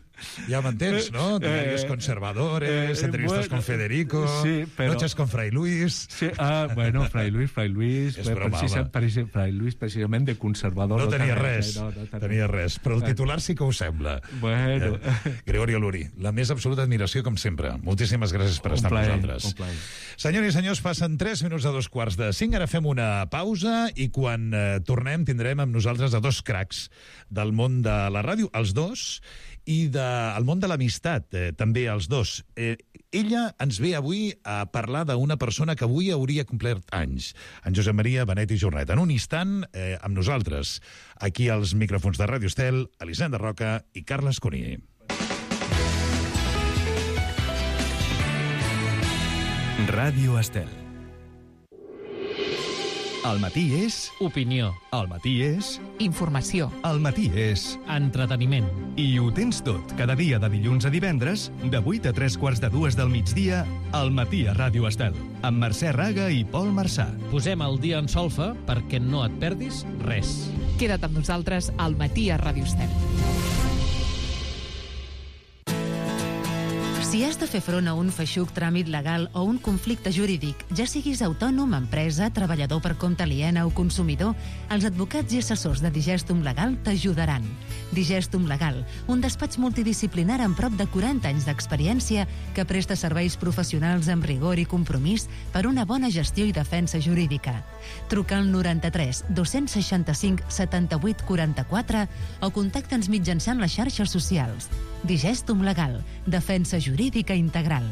Ja m'entens, no? Diarios conservadores, entrevistas eh, bueno, con Federico, sí, pero... noches con Fray Luis... Sí, ah, bueno, Fray Luis, Fray Luis... És broma, precisa, precisa, Fray Luis, precisament de conservador... No, no tenia tenia res, no, no tenia. tenia res, però el titular sí que ho sembla. Bueno... Eh, Gregorio Luri, la més absoluta admiració, com sempre. Moltíssimes gràcies per un estar plaer, amb nosaltres. Un plaer. Senyors i senyors, passen tres minuts a dos quarts de cinc, ara fem una pausa i quan eh, tornem tindrem amb nosaltres a dos cracs del món de la ràdio, els dos, i del món de l'amistat, eh, també els dos. Eh, ella ens ve avui a parlar d'una persona que avui hauria complert anys, en Josep Maria Benet i Jornet. En un instant, eh, amb nosaltres, aquí als micròfons de Ràdio Estel, Elisenda Roca i Carles Cuní. Ràdio Estel. Al matí és... Opinió. Al matí és... Informació. Al matí és... Entreteniment. I ho tens tot, cada dia de dilluns a divendres, de vuit a tres quarts de dues del migdia, al matí a Ràdio Estel, amb Mercè Raga i Pol Marçà. Posem el dia en solfa perquè no et perdis res. Queda't amb nosaltres al matí a Ràdio Estel. Si has de fer front a un feixuc tràmit legal o un conflicte jurídic, ja siguis autònom, empresa, treballador per compte aliena o consumidor, els advocats i assessors de Digestum Legal t'ajudaran. Digestum Legal, un despatx multidisciplinar amb prop de quaranta anys d'experiència que presta serveis professionals amb rigor i compromís per una bona gestió i defensa jurídica. Truca al noranta-tres dos-cents seixanta-cinc setanta-vuit quaranta-quatre o contacta'ns mitjançant les xarxes socials. Digestum Legal, defensa jurídica integral.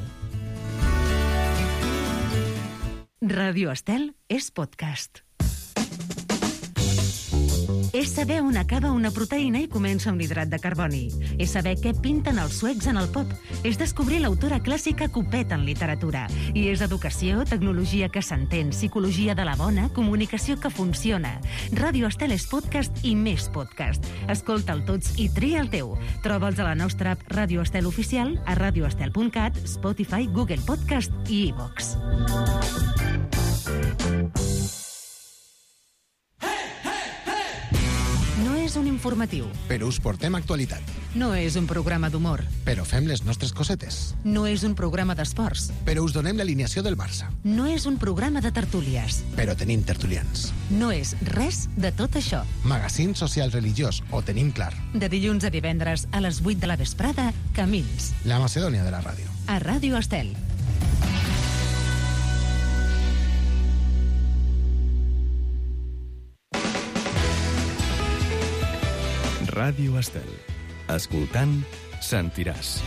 Ràdio Estel és podcast. És saber on acaba una proteïna i comença un hidrat de carboni. És saber què pinten els suecs en el pop. És descobrir l'autora clàssica que ho peta en literatura. I és educació, tecnologia que s'entén, psicologia de la bona, comunicació que funciona. Ràdio Estel és podcast i més podcast. Escolta'l tots i tria el teu. Troba'ls a la nostra app Ràdio Estel Oficial, a radioestel punt cat, Spotify, Google Podcast i iVox. No és un informatiu. Però us portem actualitat. No és un programa d'humor. Però fem les nostres cosetes. No és un programa d'esports. Però us donem l'alineació del Barça. No és un programa de tertúlies. Però tenim tertulians. No és res de tot això. Magazín social religiós, ho tenim clar. De dilluns a divendres a les vuit de la vesprada, Camins. La Macedònia de la ràdio. A Ràdio Estel. Ràdio Estel. Escoltant, sentiràs.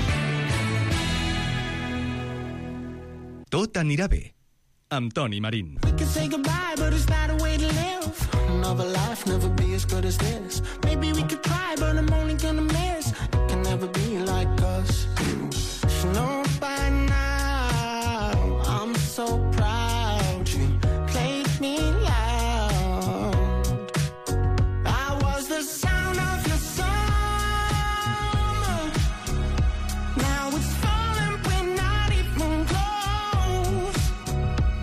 Tot anirà bé. Amb Toni Marín. We can say goodbye, but it's not a way to live. Another life never be as good as this. Maybe we could try, but I'm only gonna miss. It can never be like us. You should know by now. I'm so proud you played me loud. I was the sound of your summer. Now it's falling, we're not even close.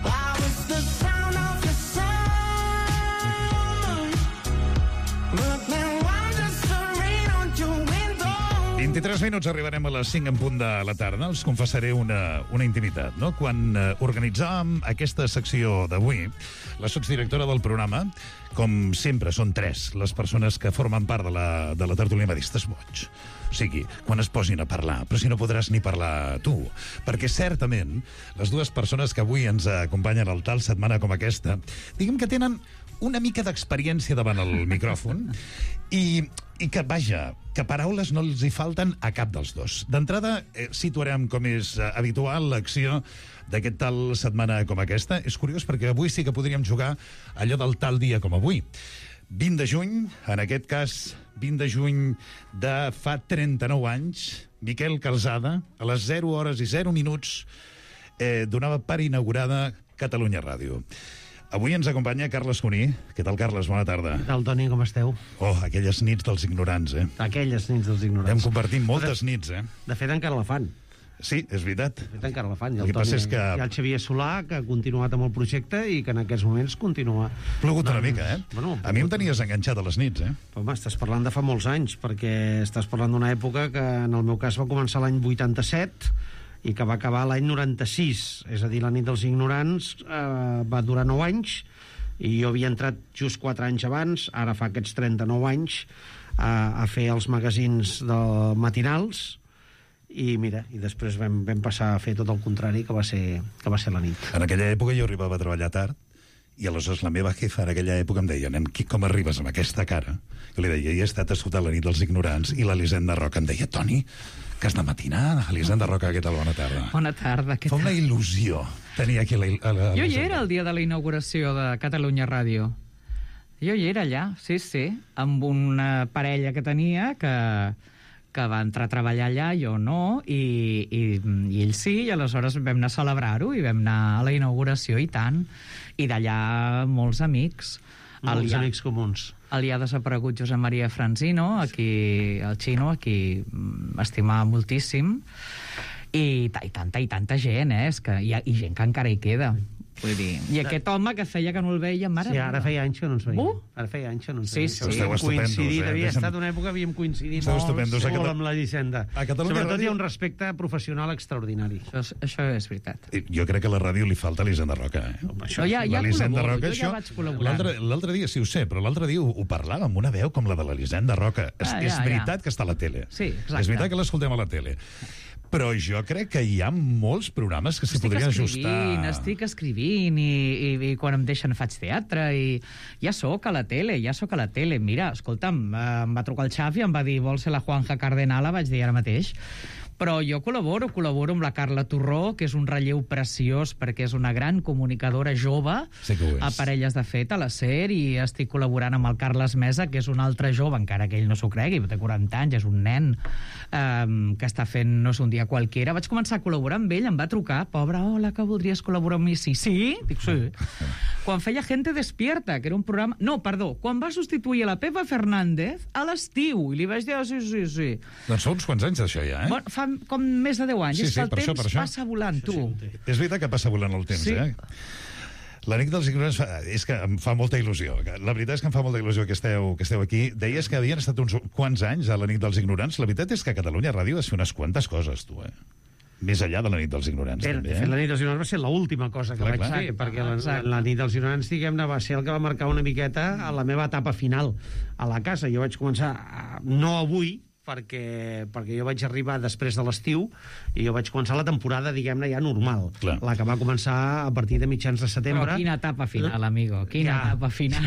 I was the sound of your summer. But now I'm just a rain on your window. vint-i-tres minuts, arribarem a les cinc en punt de la tarda. Els confessaré una, una intimitat, no? Quan eh, organitzàvem aquesta secció d'avui, la sotsdirectora del programa, com sempre, són tres les persones que formen part de la, de la tertúlia, m'ha dit, estàs boig. O sigui, quan es posin a parlar, però si no podràs ni parlar tu. Perquè certament, les dues persones que avui ens acompanyen al tal setmana com aquesta, diguem que tenen una mica d'experiència davant el micròfon i, i que, vaja, que paraules no els hi falten a cap dels dos. D'entrada, eh, situarem, com és eh, habitual, l'acció d'aquest tal setmana com aquesta. És curiós perquè avui sí que podríem jugar allò del tal dia com avui. vint de juny, en aquest cas, vint de juny de fa trenta-nou anys, Miquel Calzada, a les zero hores i zero minuts, eh, donava per inaugurada Catalunya Ràdio. Avui ens acompanya Carles Cuní. Què tal, Carles? Bona tarda. Què tal, Toni? Com esteu? Oh, aquelles nits dels ignorants, eh? Aquelles nits dels ignorants. Hem compartit moltes de, nits, eh? De fet, encara la fan. Sí, és veritat. De fet, encara la fan. I el, el, Toni, és que... i el Xavier Solà, que ha continuat amb el projecte i que en aquests moments continua. Plogut una mica, eh? Bueno, a mi em tenies enganxat a les nits, eh? Home, estàs parlant de fa molts anys, perquè estàs parlant d'una època que, en el meu cas, va començar l'any vuitanta-set i que va acabar l'any noranta-sis. És a dir, la nit dels ignorants eh, va durar nou anys, i jo havia entrat just quatre anys abans, ara fa aquests trenta-nou anys, a, a fer els magazins de matinals, i mira, i després vam, vam passar a fer tot el contrari, que va ser, que va ser la nit. En aquella època jo arribava a treballar tard, i aleshores la meva jefa en aquella època em deia, nen, com arribes amb aquesta cara? Jo li deia, he estat a escoltar la nit dels ignorants, i l'Elisenda Roca em deia, Toni, que has de matinar, Elisenda Roca, què tal? Bona tarda. Bona tarda, què tal? Fa una il·lusió tenir aquí la, la, la Jo hi era el dia de la inauguració de Catalunya Ràdio. Jo hi era allà, sí, sí, amb una parella que tenia que, que va entrar a treballar allà, jo no, i, i, i ell sí, i aleshores vam anar a celebrar-ho i vam anar a la inauguració, i tant. I d'allà molts amics. Molts el, amics comuns. El ja desaparegut Josep Maria Franzino, aquí, el Xino, aquí estimava moltíssim, i, i tanta i tanta gent, eh? És que hi ha i gent que encara hi queda. Vull dir, i aquest home que feia que no el veia, mare... Sí, ara feia anys que no ens veiem. Uh? Ara feia anys que no ens Sí, veiem. sí. Esteu estupendos, Coincidit, eh? havia Deixa'm- estat una època, havíem coincidit Esteu molt, estupendos. A molt Cata- amb la Llicenda. A Catalunya Sobretot Ràdio- hi ha un respecte professional extraordinari. Això, això és veritat. Jo crec que a la ràdio li falta l'Elisenda Roca, eh? això No, ja- ja La Elisenda col·laboro, Roca, jo ja això- vaig col·laborar. l'altre- L'altre dia, sí ho sé, però l'altre dia ho, ho parlava amb una veu com la de l'Elisenda Roca. És, Ah, és ja, veritat ja. que està a la tele. Sí, exacte. És veritat que l'escoltem a la tele. Però jo crec que hi ha molts programes que s'hi Estic podrien escrivint, ajustar... estic escrivint i, i, i quan em deixen faig teatre i ja sóc a la tele, ja sóc a la tele. Mira, escolta'm, eh, em va trucar el Xavi, em va dir, vols ser la Juanja Cardenala? Vaig dir ara mateix. Però jo col·laboro, col·laboro amb la Carla Torró, que és un relleu preciós perquè és una gran comunicadora jove, Sí que ho és. a Parelles de Fet, a la SER, i estic col·laborant amb el Carles Mesa, que és un altre jove, encara que ell no s'ho cregui, té quaranta anys, és un nen um, que està fent, no és un dia qualquera. Vaig començar a col·laborar amb ell, em va trucar, pobre, hola, que voldries col·laborar amb mi? Sí, sí, dic sí. Quan feia Gente Despierta, que era un programa... No, perdó, quan va substituir a la Pepa Fernández a l'estiu, i li vaig dir, oh, sí, sí, sí. Doncs fa uns quants anys d'això ja, eh? Bueno, fa com més de deu anys. Sí, és sí, que el per això, temps per això. passa volant, tu. És veritat que passa volant el temps, Sí. eh? La nit dels ignorants fa, és que em fa molta il·lusió. La veritat és que em fa molta il·lusió que esteu, que esteu aquí. Deies que havien estat uns quants anys a la nit dels ignorants. La veritat és que a Catalunya Ràdio vas fer unes quantes coses, tu, eh? Més enllà de la nit dels ignorants, Bé, també, de fet, la eh? nit dels ignorants va ser l'última cosa que Clar, vaig clar. fer, perquè la, la, Exacte. la nit dels ignorants, diguem-ne, va ser el que va marcar una miqueta a la meva etapa final a la casa. Jo vaig començar, a- no avui, perquè, perquè jo vaig arribar després de l'estiu i jo vaig començar la temporada, diguem-ne, ja normal. Clar. La que va començar a partir de mitjans de setembre. Però quina etapa final, amigo, quina Ja. etapa final.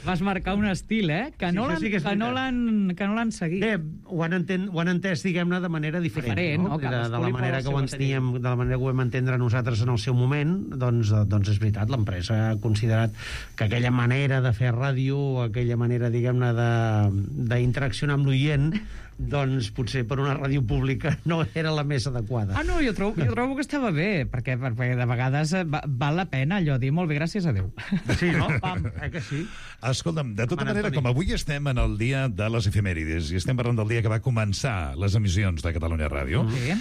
Vas marcar un estil, eh? Que no Sí, això l'han sí que és que no veritat. l'han que no l'han seguit. Bé, ho han, enten, ho han entès, diguem-ne, de manera diferent. Diferent, no? De, de, Cadascú la li manera posa que ho el seu enteníem, de la manera que ho vam entendre nosaltres en el seu moment, doncs, eh, doncs és veritat, l'empresa ha considerat que aquella manera de fer ràdio, aquella manera, diguem-ne, de- d'interaccionar amb l'oient, doncs potser per una ràdio pública no era la més adequada. Ah, no, jo trobo, jo trobo que estava bé, perquè, perquè de vegades eh, va, val la pena allò dir molt bé, gràcies a Déu. Sí, no? Pam, eh que sí? Escolta'm, de tota Mana, manera, Toni. com avui estem en el dia de les efemèrides i estem parlant del dia que va començar les emissions de Catalunya Ràdio, Sí.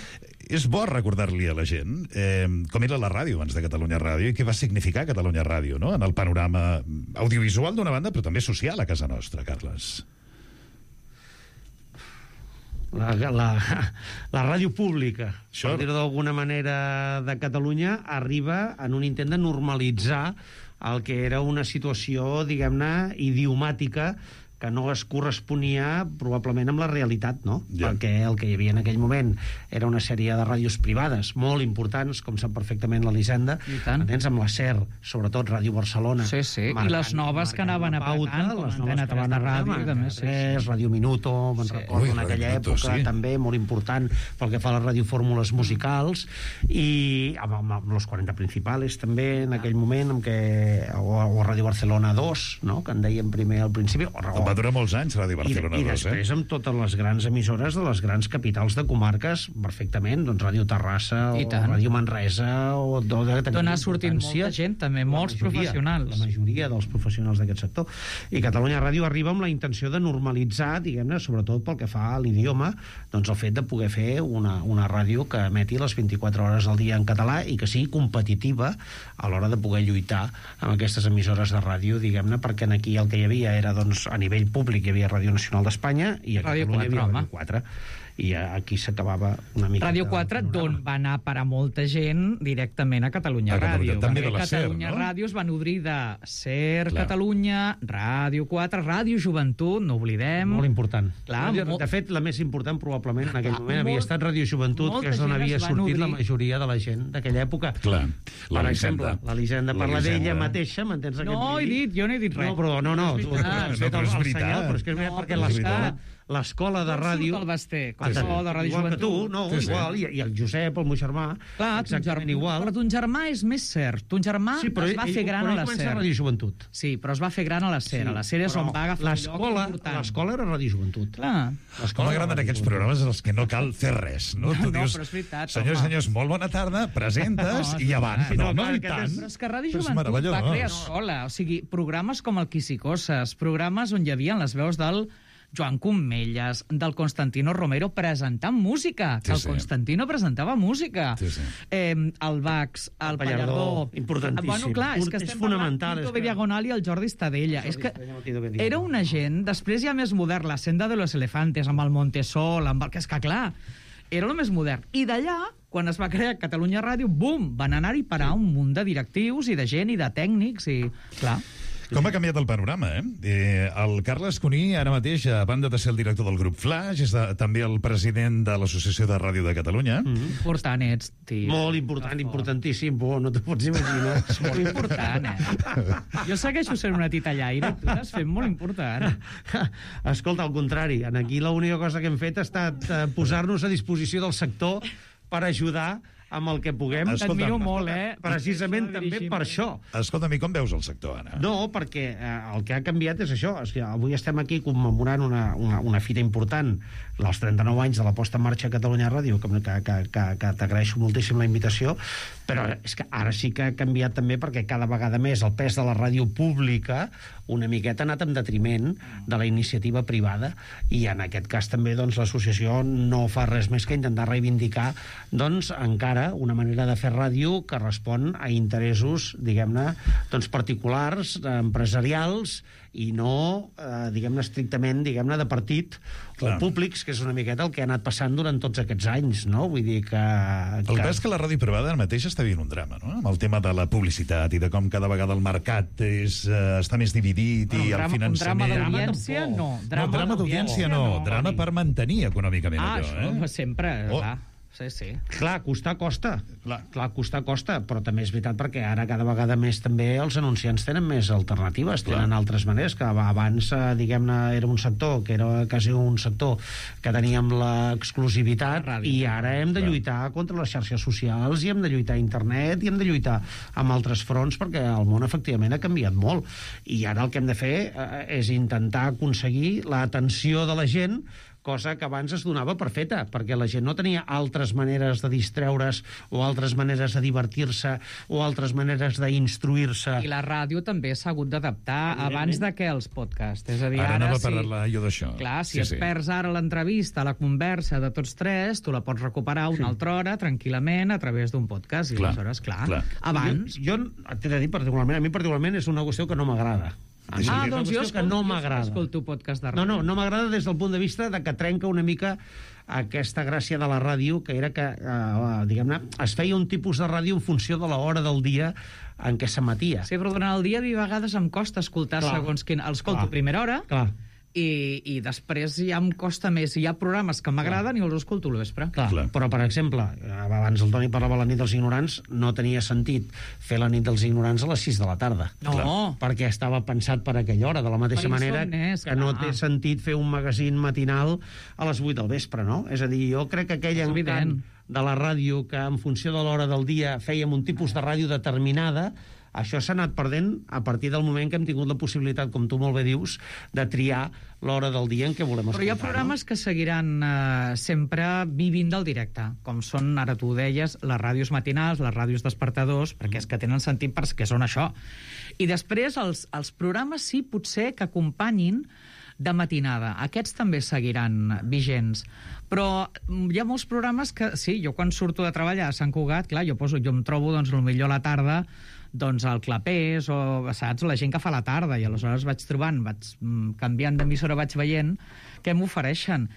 és bo recordar-li a la gent eh, com era la ràdio abans de Catalunya Ràdio i què va significar Catalunya Ràdio, no?, en el panorama audiovisual d'una banda, però també social a casa nostra, Carles. La, la, la ràdio pública, Això- per dir-ho d'alguna manera, de Catalunya, arriba en un intent de normalitzar el que era una situació, diguem-ne, idiomàtica, que no es corresponia probablement amb la realitat, no? Ja. Perquè el que hi havia en aquell moment era una sèrie de ràdios privades molt importants, com sap perfectament l'Elisenda, I tant. entens, amb la SER, sobretot Ràdio Barcelona. Sí, sí, i marcant- les noves que marcant anaven la pauta, apretant, com les Antena noves que van tres de apretar, ràdio, també, sí, tres, Ràdio Minuto, me'n Sí. recordo Ui, en Ràdio aquella Minuto, època, sí. també molt important pel que fa a les radiofórmules musicals, i amb, amb, amb los quaranta principales també en aquell moment, amb que, o, o Ràdio Barcelona dos, no?, que en deien primer al principi, o, o, Va durar molts anys Ràdio i, Barcelona i dos, després eh? amb totes les grans emissores de les grans capitals de comarques, perfectament, doncs Ràdio Terrassa I o tant. Ràdio Manresa, o d'on D'on ha sortit molta gent, també, la molts majoria, professionals. La majoria dels professionals d'aquest sector. I Catalunya Ràdio arriba amb la intenció de normalitzar, diguem-ne, sobretot pel que fa a l'idioma, doncs el fet de poder fer una, una ràdio que emeti les vint-i-quatre hores al dia en català i que sigui competitiva a l'hora de poder lluitar amb aquestes emissores de ràdio, diguem-ne, perquè aquí el que hi havia era, doncs, a nivell públic hi havia Ràdio Nacional d'Espanya i a Ràdio Catalunya hi havia quatre, home. Ràdio quatre. I aquí s'acabava una mica... Ràdio quatre, d'on va anar per a molta gent directament a Catalunya A Catalunya, Ràdio. també Perquè de la SER, Catalunya no? Ràdio es va nodrir de SER, Clar. Catalunya, Ràdio quatre, Ràdio Joventut, no oblidem. Molt important. Clar, de, molt- de fet, la més important probablement en aquell Clar, moment havia molt- estat Ràdio Joventut, molta que és d'on gent havia es va sortit la nodrir. majoria de la gent d'aquella època. Clar, Per l'Elisenda. exemple, l'Elisenda La parla Elisenda. d'ella mateixa, m'entens? aquest No he vídeo? dit, jo no he dit res. No, però no, no, tu, tu Ah, has no, fet però el, és el veritat. senyal, però és que és No, veritat, perquè però és l'escola, veritat. l'escola de On ràdio... surt el Basté? Ah, Com surt de Ràdio igual que tu, Joventut? no, Sí, sí. igual, i, i el Josep, el meu germà, Clar, ton exactament germà, igual. però ton germà és més cert. Ton germà Sí, però es va ell- fer gran però a ell la comença SER. a Ràdio Joventut. Sí, però es va fer gran a la SER. A la SER és però on va agafar un lloc l'escola, important. l'escola era Ràdio Joventut. Clar. Com m'agraden aquests programes en els que no cal fer res, no? No, Tu no, dius, però és veritat, senyors i home. senyors, molt bona tarda, presentes No, i avant. sí, No, no, no, clar, i aquest tant. és- Però és que Ràdio Però és Joventut va meravellós. crear sola. O sigui, programes com el Quisicoses, programes on hi havia les veus del Joan Comelles, del Constantino Romero presentant música. Sí, el sí. Constantino presentava música. Sí, sí. Eh, el Bax, el, El Pallardó, Pallardó. importantíssim. Bueno, clar, és que És estem fonamental, parlant és Tito que- Diagonal i el Jordi Estadella. És que Estadella. era una gent, després ja més modern, la Senda de los Elefantes, amb el Montesol, amb el que és que, clar, era el més modern. I d'allà, quan es va crear Catalunya Ràdio, bum, van anar-hi parar un munt de directius i de gent i de tècnics i, clar... Com ha canviat el panorama, eh? eh el Carles Cuní, ara mateix, a banda de ser el director del grup Flash, és de, també el president de l'Associació de Ràdio de Catalunya. Mm -hmm. Important ets, tio. Molt important, importantíssim. Bo, no t'ho pots imaginar. És molt important, eh? Jo segueixo sent una titellaire i tu t'has fet molt important. Escolta, al contrari, en aquí l'única cosa que hem fet ha estat eh, posar-nos a disposició del sector per ajudar amb el que puguem. T'admiro molt, eh? Precisament també per això. Escolta'm, i com veus el sector, Anna? No, perquè eh, el que ha canviat és això. És que avui estem aquí commemorant una, una, una fita important, els trenta-nou anys de la posta en marxa a Catalunya Ràdio, que, que, que, que, que t'agraeixo moltíssim la invitació, però és que ara sí que ha canviat també perquè cada vegada més el pes de la ràdio pública una miqueta ha anat en detriment de la iniciativa privada, i en aquest cas també doncs, l'associació no fa res més que intentar reivindicar doncs, encara una manera de fer ràdio que respon a interessos, diguem-ne, doncs, particulars, empresarials, i no, eh, diguem-ne, estrictament, diguem-ne, de partit Clar. o públics, que és una miqueta el que ha anat passant durant tots aquests anys, no? Vull dir que... El que és que la ràdio privada ara mateix està vivint un drama, no? Amb el tema de la publicitat i de com cada vegada el mercat és, uh, està més dividit Bueno, i drama, el finançament... Un drama d'audiència, no. Drama no, drama d'audiència no. Drama per mantenir econòmicament ah, allò, això, eh? sempre, Oh. clar. Sí, sí. Clar, costar costa. Clar. Clar, costar costa, però també és veritat perquè ara cada vegada més també els anunciants tenen més alternatives, Clar. tenen altres maneres, que abans, eh, diguem-ne, era un sector que era quasi un sector que teníem l'exclusivitat, i ara hem de lluitar contra les xarxes socials, i hem de lluitar a internet, i hem de lluitar amb altres fronts, perquè el món efectivament ha canviat molt, i ara el que hem de fer eh, és intentar aconseguir l'atenció de la gent, cosa que abans es donava per feta, perquè la gent no tenia altres maneres de distreure's o altres maneres de divertir-se o altres maneres d'instruir-se. I la ràdio també s'ha hagut d'adaptar abans de que els podcasts. És a dir, Ara ara, anava a si... parlar jo d'això. Clar, si Sí, es sí. perds ara l'entrevista, la conversa de tots tres, tu la pots recuperar una Sí. altra hora, tranquil·lament, a través d'un podcast. I Clar, aleshores, clar, clar. abans... Jo, jo t'he de dir particularment, a mi particularment és una qüestió que no m'agrada. A mi Ah, és una doncs jo qüestió que no m'agrada. escolto podcast de ràdio. No, no, no m'agrada des del punt de vista de que trenca una mica aquesta gràcia de la ràdio, que era que, eh, diguem-ne, es feia un tipus de ràdio en funció de l'hora del dia en què s'emetia. Sí, però durant el dia a mi a vegades em costa escoltar Clar. segons quin... El escolto Clar. a primera hora Clar. i, i després ja em costa més. Hi ha programes que m'agraden i els escolto al vespre. Clar, Clar. Però, per exemple, abans el Toni parlava de la nit dels ignorants, no tenia sentit fer la nit dels ignorants a les sis de la tarda. No. Clar. Perquè estava pensat per aquella hora, de la mateixa Per manera insomnes, que no clar. té sentit fer un magazín matinal a les vuit del vespre, no? És a dir, jo crec que aquell És encant evident. de la ràdio, que en funció de l'hora del dia fèiem un tipus de ràdio determinada, això s'ha anat perdent a partir del moment que hem tingut la possibilitat, com tu molt bé dius, de triar l'hora del dia en què volem escoltar. Però hi ha programes que seguiran eh, sempre vivint del directe, com són, ara tu ho deies, les ràdios matinals, les ràdios despertadors, perquè és que tenen sentit perquè són això. I després els, els programes sí, potser que acompanyin de matinada. Aquests també seguiran vigents. Però hi ha molts programes que, sí, jo quan surto de treballar a Sant Cugat, clar, jo, poso, jo em trobo, doncs, potser a la tarda, doncs al Clapés, o, saps, la gent que fa la tarda, i aleshores vaig trobant, vaig mm, canviant d'emissora, vaig veient què m'ofereixen.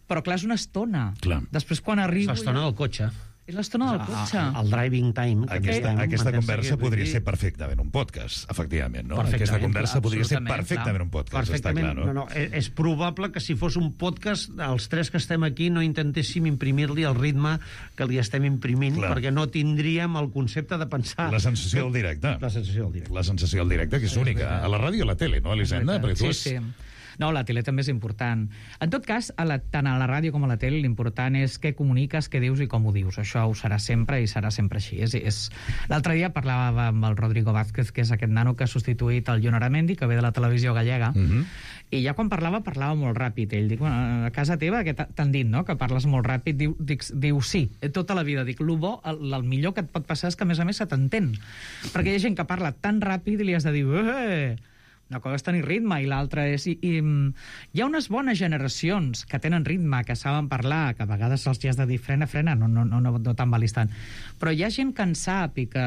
Però, clar, és una estona. Clar. Després, quan arribo... És l'estona del cotxe. És l'estona del cotxe. El driving time. que Aquesta, estem, aquesta m'entens? conversa Que- podria ser perfectament un podcast, efectivament, no? Perfectament, Aquesta conversa clar, podria ser absolutament, perfectament clar. un podcast, està Perfectament. clar, no? No, no, és, és probable que si fos un podcast, els tres que estem aquí no intentéssim imprimir-li el ritme que li estem imprimint, Clar. perquè no tindríem el concepte de pensar... La sensació del directe. La sensació del directe. La sensació del directe, que és única. A la ràdio i a la tele, no, Elisenda? Perquè tu Sí, has... sí. No, la tele també és important. En tot cas, a la, tant a la ràdio com a la tele, l'important és què comuniques, què dius i com ho dius. Això ho serà sempre i serà sempre així. És, és... L'altre dia parlava amb el Rodrigo Vázquez, que és aquest nano que ha substituït el Jon Aramendi, que ve de la televisió gallega, Mm -hmm. i ja quan parlava, parlava molt ràpid. Ell diu, bueno, a casa teva, que t'han dit, no?, que parles molt ràpid. Diu, dic, diu sí, tota la vida. Dic, el bo, el, el millor que et pot passar és que, a més a més, se t'entén. Perquè hi ha gent que parla tan ràpid i li has de dir... Eh! una cosa és tenir ritme i l'altra és... I, i, hi ha unes bones generacions que tenen ritme, que saben parlar, que a vegades se'ls has de dir frena, frena, no, no, no, no t'embalis tant. Però hi ha gent que en sap i que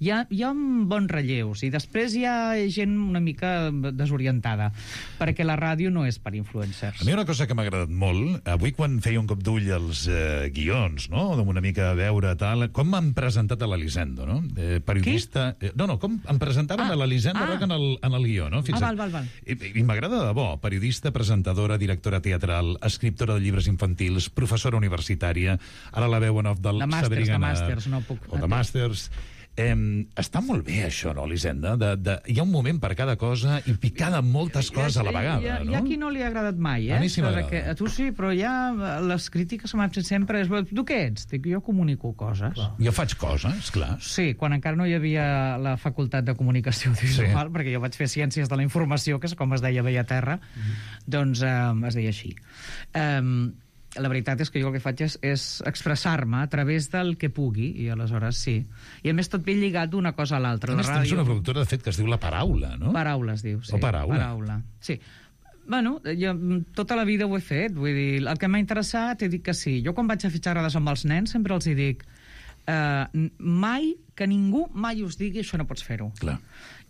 hi ha, hi ha bons relleus i després hi ha gent una mica desorientada, perquè la ràdio no és per influencers. A mi una cosa que m'ha agradat molt, avui quan feia un cop d'ull als eh, guions, no?, una mica a veure tal, com m'han presentat a l'Elisendo, no? Eh, periodista... Eh, no, no, com em presentaven ah, a l'Elisendo ah. Roca en el, en el guió, no? Fins ah, val, val, val. I, i m'agrada de debò. Periodista, presentadora, directora teatral, escriptora de llibres infantils, professora universitària, ara la veu en off del de màsters, Sabrigana... De màsters, no puc... O de màsters... Eh, està molt bé això, no, Elisenda? De, de, hi ha un moment per cada cosa i picar de moltes coses a la vegada, hi ha, no? Hi ha qui no li ha agradat mai, eh? A mi sí m'agrada. Que, a tu sí, però hi ha les crítiques que m'han fet sempre és, tu què ets? Dic, jo comunico coses. Clar. Jo faig coses, clar. Sí, quan encara no hi havia la facultat de comunicació audiovisual, sí. Perquè jo vaig fer ciències de la informació, que és com es deia Veia Terra, mm. doncs eh, es deia així. Eh, la veritat és que jo el que faig és, és expressar-me a través del que pugui, i aleshores sí. I a més tot ben lligat d'una cosa a l'altra. A més, tens una productora, de fet, que es diu La Paraula, no? Paraula es diu, sí. O Paraula. Paraula, sí. Bueno, jo tota la vida ho he fet, vull dir, el que m'ha interessat he dit que sí. Jo quan vaig a fer xerrades amb els nens sempre els hi dic eh, mai, que ningú mai us digui això no pots fer-ho. Clar.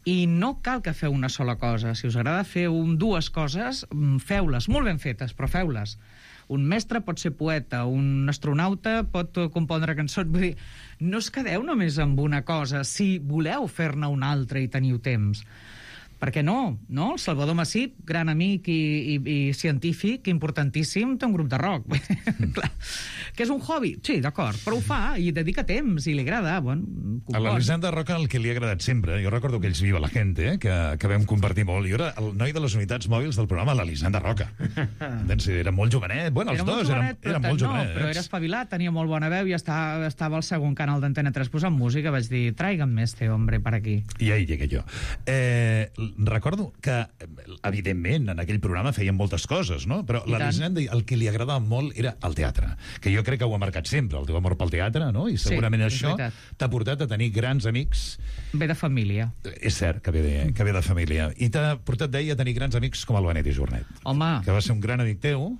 I no cal que feu una sola cosa. Si us agrada fer un, dues coses, feu-les, molt ben fetes, però feu-les. Un mestre pot ser poeta, un astronauta pot compondre cançons. Vull dir, no us quedeu només amb una cosa si voleu fer-ne una altra i teniu temps. Perquè no, no? El Salvador Massip, gran amic i, i, i científic, importantíssim, té un grup de rock. Mm. Clar. Que és un hobby? Sí, d'acord, però ho fa i dedica temps i li agrada. Bueno, a l'Elisenda Roca el que li ha agradat sempre, jo recordo que ells Viva la Gente, eh, que, que vam compartir molt, jo era el noi de les unitats mòbils del programa l'Elisenda Roca. Entens? Era molt jovenet, bueno, els era dos eren, eren molt no, jovenets. Però era espavilat, tenia molt bona veu i estava, estava al segon canal d'Antena tres posant música, vaig dir, traigan este hombre per aquí. I ahí llegué jo. Eh, recordo que, evidentment, en aquell programa feien moltes coses, no? Però l'Elisenda el que li agradava molt era el teatre, que jo crec que ho ha marcat sempre, el teu amor pel teatre, no? I segurament sí, això t'ha portat a tenir grans amics... Ve de família. És cert que ve de, que ve de família. I t'ha portat, deia, a tenir grans amics com el Benet i Jornet. Home. Que va ser un gran amic teu.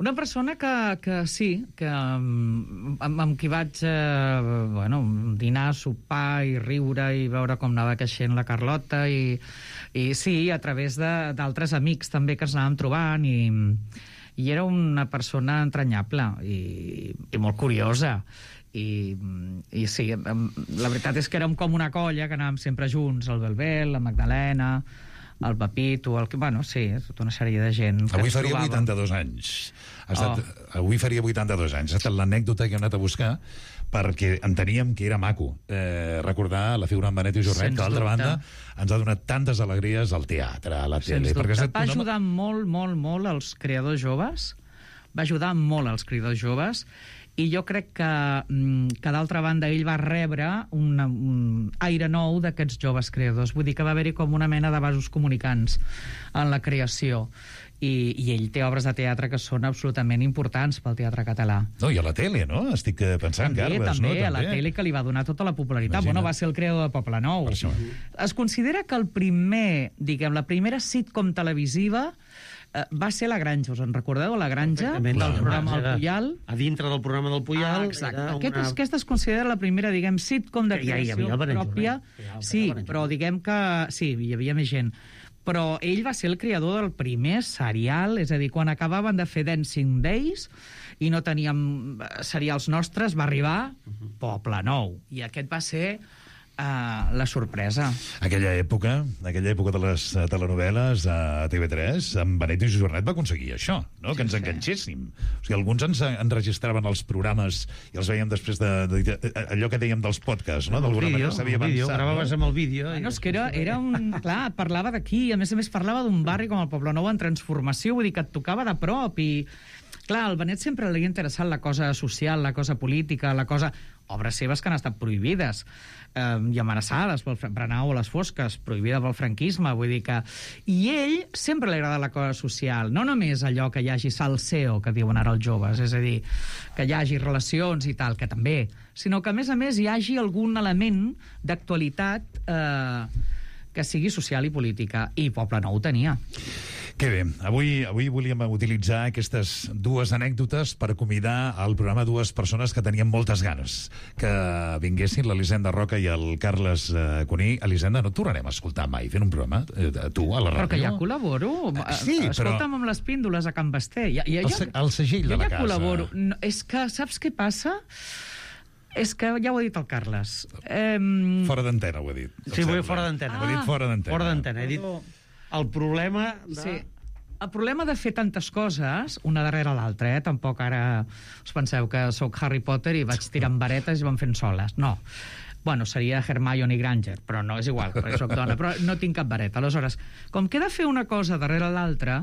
Una persona que, que sí, que amb, amb qui vaig eh, bueno, dinar, sopar i riure i veure com anava creixent la Carlota i, i sí, a través d'altres amics també que ens anàvem trobant i, i era una persona entranyable i, i molt curiosa i, i sí, la veritat és que érem com una colla que anàvem sempre junts, el Belbel, la Magdalena, el Pepito, el... bueno, sí, tota una sèrie de gent que avui ens faria trobàvem. vuitanta-dos anys. Ha estat, oh. Avui faria vuitanta-dos anys. Ha estat l'anècdota que he anat a buscar perquè enteníem que era maco eh, recordar la figura en Benet i Jornet, que d'altra banda ens ha donat tantes alegries al teatre, a la tele. Sens dubte. Va una... ajudar molt, molt, molt als creadors joves, va ajudar molt als creadors joves, i jo crec que, que d'altra banda ell va rebre una, un aire nou d'aquests joves creadors. Vull dir que va haver-hi com una mena de vasos comunicants en la creació. I, i ell té obres de teatre que són absolutament importants pel teatre català. No, i a la tele, no? Estic pensant, també, Garbes, també, no? També, a la tele que li va donar tota la popularitat. Imagina. Bueno, va ser el creador de Poblenou. Es considera que el primer, diguem, la primera sitcom televisiva eh, va ser La Granja. Us en recordeu? La Granja, del programa El Puyal. A dintre del programa del Puyal. Ah, exacte. Aquest, una... Aquesta es considera la primera, diguem, sitcom de creació ja pròpia. Sí, però diguem que... Sí, hi havia més gent. Però ell va ser el creador del primer serial, és a dir, quan acabaven de fer Dancing Days i no teníem serials nostres, va arribar Poblenou. I aquest va ser uh, la sorpresa. Aquella època, aquella època de les telenovel·les a T V tres, amb Benet i Jornet va aconseguir això, no? Sí, que ens enganxéssim. O sigui, alguns ens enregistraven els programes i els veiem després de, de, de allò que dèiem dels podcasts, no? D'alguna manera s'havia avançat. Gravaves amb el vídeo. Bueno, és que era, era un... Clar, parlava d'aquí, a més a més parlava d'un barri com el Poblenou en transformació, vull dir que et tocava de prop i... Clar, al Benet sempre li ha interessat la cosa social, la cosa política, la cosa... Obres seves que han estat prohibides eh, i amenaçades pel Brenau a les fosques, prohibida pel franquisme, vull dir que... I ell sempre li agrada la cosa social, no només allò que hi hagi salseo, que diuen ara els joves, és a dir, que hi hagi relacions i tal, que també, sinó que, a més a més, hi hagi algun element d'actualitat... Eh, que sigui social i política, i Poblenou ho tenia. Que bé, avui, avui volíem utilitzar aquestes dues anècdotes per convidar al programa dues persones que tenien moltes ganes que vinguessin, l'Elisenda Roca i el Carles eh, Cuní. Elisenda, no et tornarem a escoltar mai fent un programa, eh, tu, a la ràdio? Però que ja col·laboro. Eh, sí, Escolta'm però... amb les píndoles a Can Basté. Ja, ja, el, se el segell jo de la ja casa. Col·laboro. No, és que, saps què passa? És que ja ho ha dit el Carles. Eh... Fora d'antena, ho ha dit. Sí, ho he fora d'antena. Ho ha dit fora d'antena. Fora d'antena. He dit el problema de... Sí. El problema de fer tantes coses, una darrere l'altra, eh? Tampoc ara us penseu que sóc Harry Potter i vaig tirant varetes i van fent soles. No. Bueno, seria Hermione Granger, però no, és igual, perquè soc dona, però no tinc cap vareta. Aleshores, com que he de fer una cosa darrere l'altra,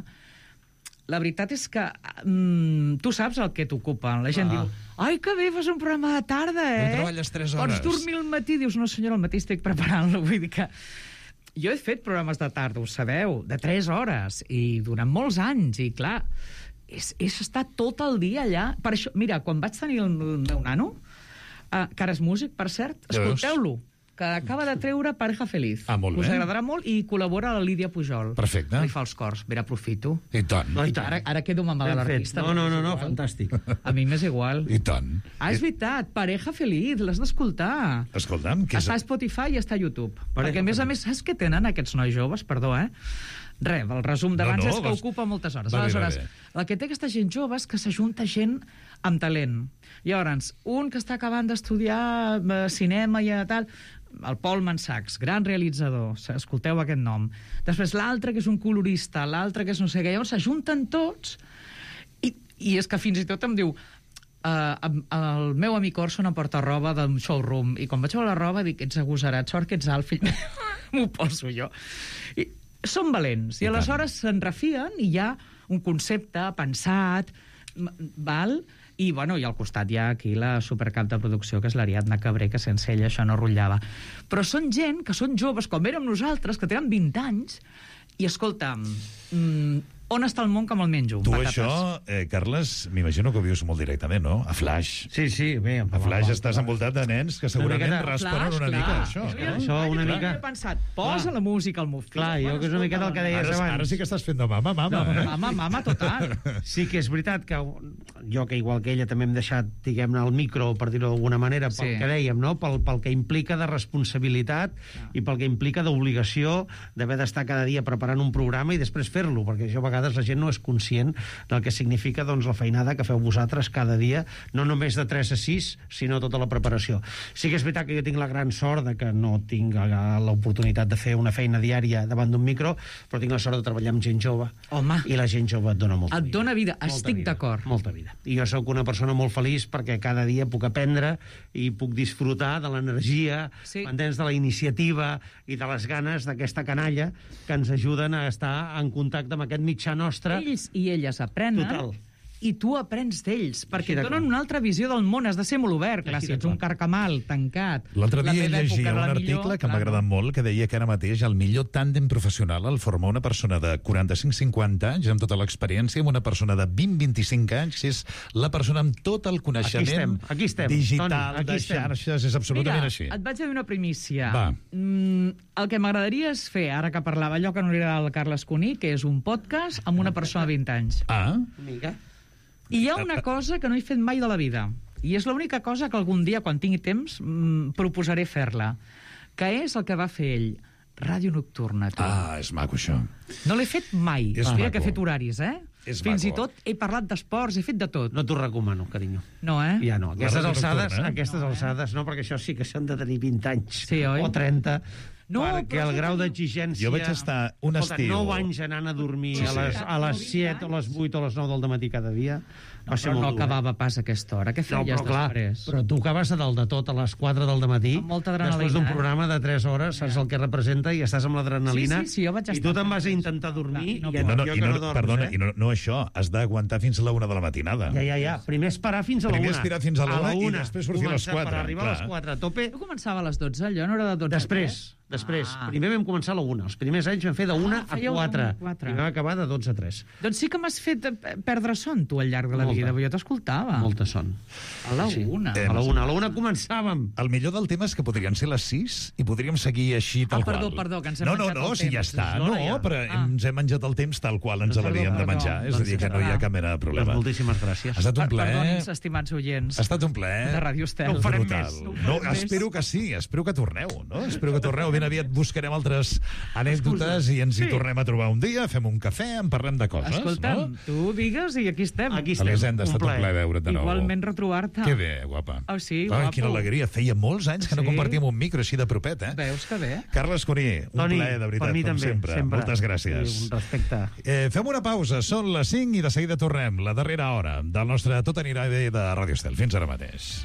la veritat és que mm, tu saps el que t'ocupa. La gent ah. diu, ai, que bé, fas un programa de tarda, eh? No treballes tres hores. Pots dormir al matí? Dius, no senyora, al matí estic preparant-lo. Vull dir que... Jo he fet programes de tarda, ho sabeu, de tres hores, i durant molts anys, i clar, és, és estar tot el dia allà. Per això, mira, quan vaig tenir el meu nano, uh, que ara és músic, per cert, escolteu-lo, que acaba de treure Pareja Feliz. Ah, molt bé. Us agradarà molt, i col·labora la Lídia Pujol. Perfecte. Li fa els cors, vera, aprofito. I tant. No, i tant. Ara, ara quedo mamada de l'artista. No, no, no, no, fantàstic. A mi m'és igual. I tant. Ah, és veritat, Pareja Feliz, l'has d'escoltar. Escolta'm, què és... Està a Spotify i està a YouTube. Pareja Perquè, a més a més, saps què tenen aquests nois joves? Perdó, eh? Res, el resum d'abans no, no, és que vas... ocupa moltes hores. Va bé, Aleshores, va bé. el que té aquesta gent jove és que s'ajunta gent amb talent. Llavors, un que està acabant d'estudiar eh, cinema i tal... el Paul Mansachs, gran realitzador, escolteu aquest nom. Després l'altre, que és un colorista, l'altre que és no sé què. Llavors s'ajunten tots i, i és que fins i tot em diu uh, el meu amic Orson em porta roba del showroom i quan vaig veure la roba dic, ets agosarat, sort que ets alt, fill m'ho poso jo. I són valents i, I aleshores se'n refien i hi ha un concepte pensat, val? I, bueno, i al costat hi ha aquí la supercap de producció, que és l'Ariadna Cabré, que sense ella això no rotllava. Però són gent que són joves, com érem nosaltres, que tenen vint anys, i, escolta'm, mmm, on està el món que me'l menjo? Tu patates. això, eh, Carles, m'imagino que ho vius molt directament, no? A Flash. Sí, sí, bé. A Flash estàs envoltat de nens que segurament una responen una mica a això. Jo, no? Això una jo mica... he pensat, posa la música al meu fill. Clar, jo que és una miqueta el que deies Ara, abans. ara sí que estàs fent de mama, mama. No, eh? mama, mama, total. Sí que és veritat que jo, que igual que ella, també hem deixat, diguem-ne, el micro, per dir-ho d'alguna manera, pel Sí. que dèiem, no? Pel, pel que implica de responsabilitat Ah. i pel que implica d'obligació d'haver d'estar cada dia preparant un programa i després fer-lo, perquè això a vegades la gent no és conscient del que significa doncs, la feinada que feu vosaltres cada dia, no només de tres a sis, sinó tota la preparació. Sí que és veritat que jo tinc la gran sort de que no tinc l'oportunitat de fer una feina diària davant d'un micro, però tinc la sort de treballar amb gent jove. Home. I la gent jove et dona molta Et vida. dona vida, Molta estic vida, d'acord. Molta vida. I jo sóc una persona molt feliç perquè cada dia puc aprendre i puc disfrutar de l'energia, Sí. pendents de la iniciativa i de les ganes d'aquesta canalla que ens ajuden a estar en contacte amb aquest mitjà nostre. Ells i elles aprenen Total. i tu aprens d'ells, perquè Així et de donen clar. una altra visió del món, has de ser molt obert, clar, Així si de ets un clar. carcamal, tancat. L'altre La dia meva època llegia era un la article millor, que m'ha clar, agradat molt, que deia que ara mateix el millor tàndem professional el forma una persona de quaranta-cinc cinquanta anys, amb tota l'experiència, amb una persona de vint vint-i-cinc anys, és la persona amb tot el coneixement Aquí estem, aquí estem, digital, Toni, aquí de estem. xarxes, és absolutament Mira, així. et vaig a dir una primícia. Va. Mm, el que m'agradaria és fer, ara que parlava allò que no li agrada al Carles Cuní, que és un podcast amb una persona de vint anys. Ah, Amiga. I hi ha una cosa que no he fet mai de la vida, i és l'única cosa que algun dia, quan tingui temps, mm, proposaré fer-la, que és el que va fer ell, Ràdio Nocturna. Tu. ah, és maco, això. No l'he fet mai. És Mira maco. que he fet horaris, eh? És Fins maco. i tot he parlat d'esports, he fet de tot. No t'ho recomano, carinyo. No, eh? Ja no. Aquestes ràdio alçades, nocturna, eh? aquestes alçades, no, perquè això sí que s'han de tenir vint anys. Sí, oi? O trenta. No, perquè però el grau escolta, d'exigència... Jo vaig estar un Escolta, estiu- nou anys anant a dormir Sí, a les, sí. a les set o les vuit o les nou del dematí cada dia. No, Va ser però molt no dur, eh? acabava pas a aquesta hora. Què No, feies però clar, després? però tu acabes a dalt de tot a les quatre del dematí, Amb molta adrenalina, després d'un eh? programa de tres hores, saps el que representa i estàs amb l'adrenalina, Sí, sí, sí, jo vaig i estar tu te'n vas a fent intentar dormir, No, i No, no, jo i que no, no dorms, perdona, eh? i no, no això, has d'aguantar fins a la una de la matinada. Ja, ja, ja. Primer esperar fins a la Primer una. esperar fins a la una i una. després sortir a les Començar quatre, Per arribar a les clar. quatre a tope. Jo començava a les dotze, allò no era de dotze. Després, Després, Ah. primer vam començar a la una. Els primers anys vam fer de una Ah, a fèieu quatre. una a quatre. I vam acabar de dotze a tres. Doncs sí que m'has fet eh, perdre son, tu, al llarg de la Molta. vida, perquè jo t'escoltava. Molta son. A la Sí. una. Eh, A la una. A la una començàvem. El millor del tema és que podrien ser les sis i podríem seguir així tal Ah, perdó, qual. perdó, que ens hem no, no, menjat no, el si ja temps. està. És No, l'hora ja. però Ah. ens hem menjat el temps tal qual ens Perdó, l'havíem de perdó. menjar. És a dir, que no hi ha cap mena de problema. Doncs moltíssimes gràcies. Ha estat un Per- plaer. Perdonin, estimats oients. Ha estat un plaer. De Ràdio Estel. No ho farem Brutal. més. No ho No, farem més. espero que sí, espero que torneu, no? Espero que torneu. Ben aviat buscarem altres anècdotes i ens hi Sí. tornem a trobar un dia, fem un cafè, en parlem de coses, Escolta'm, no? tu digues i aquí estem. Aquí estem. Elisenda, ha estat un plaer veure't de nou. Igualment retrobar-te. Que bé, guapa. Oh, sí, Ai, guapo. quina alegria. Feia molts anys que no Sí. compartíem un micro així de propet, eh? Veus que bé? Carles Cuní, un Toni, plaer, de veritat, per mi com també, sempre. sempre. Moltes gràcies. Sí, un respecte. Eh, fem una pausa, són les cinc i de seguida tornem, la darrera hora del nostre Tot anirà bé de Ràdio Estel. Fins ara mateix.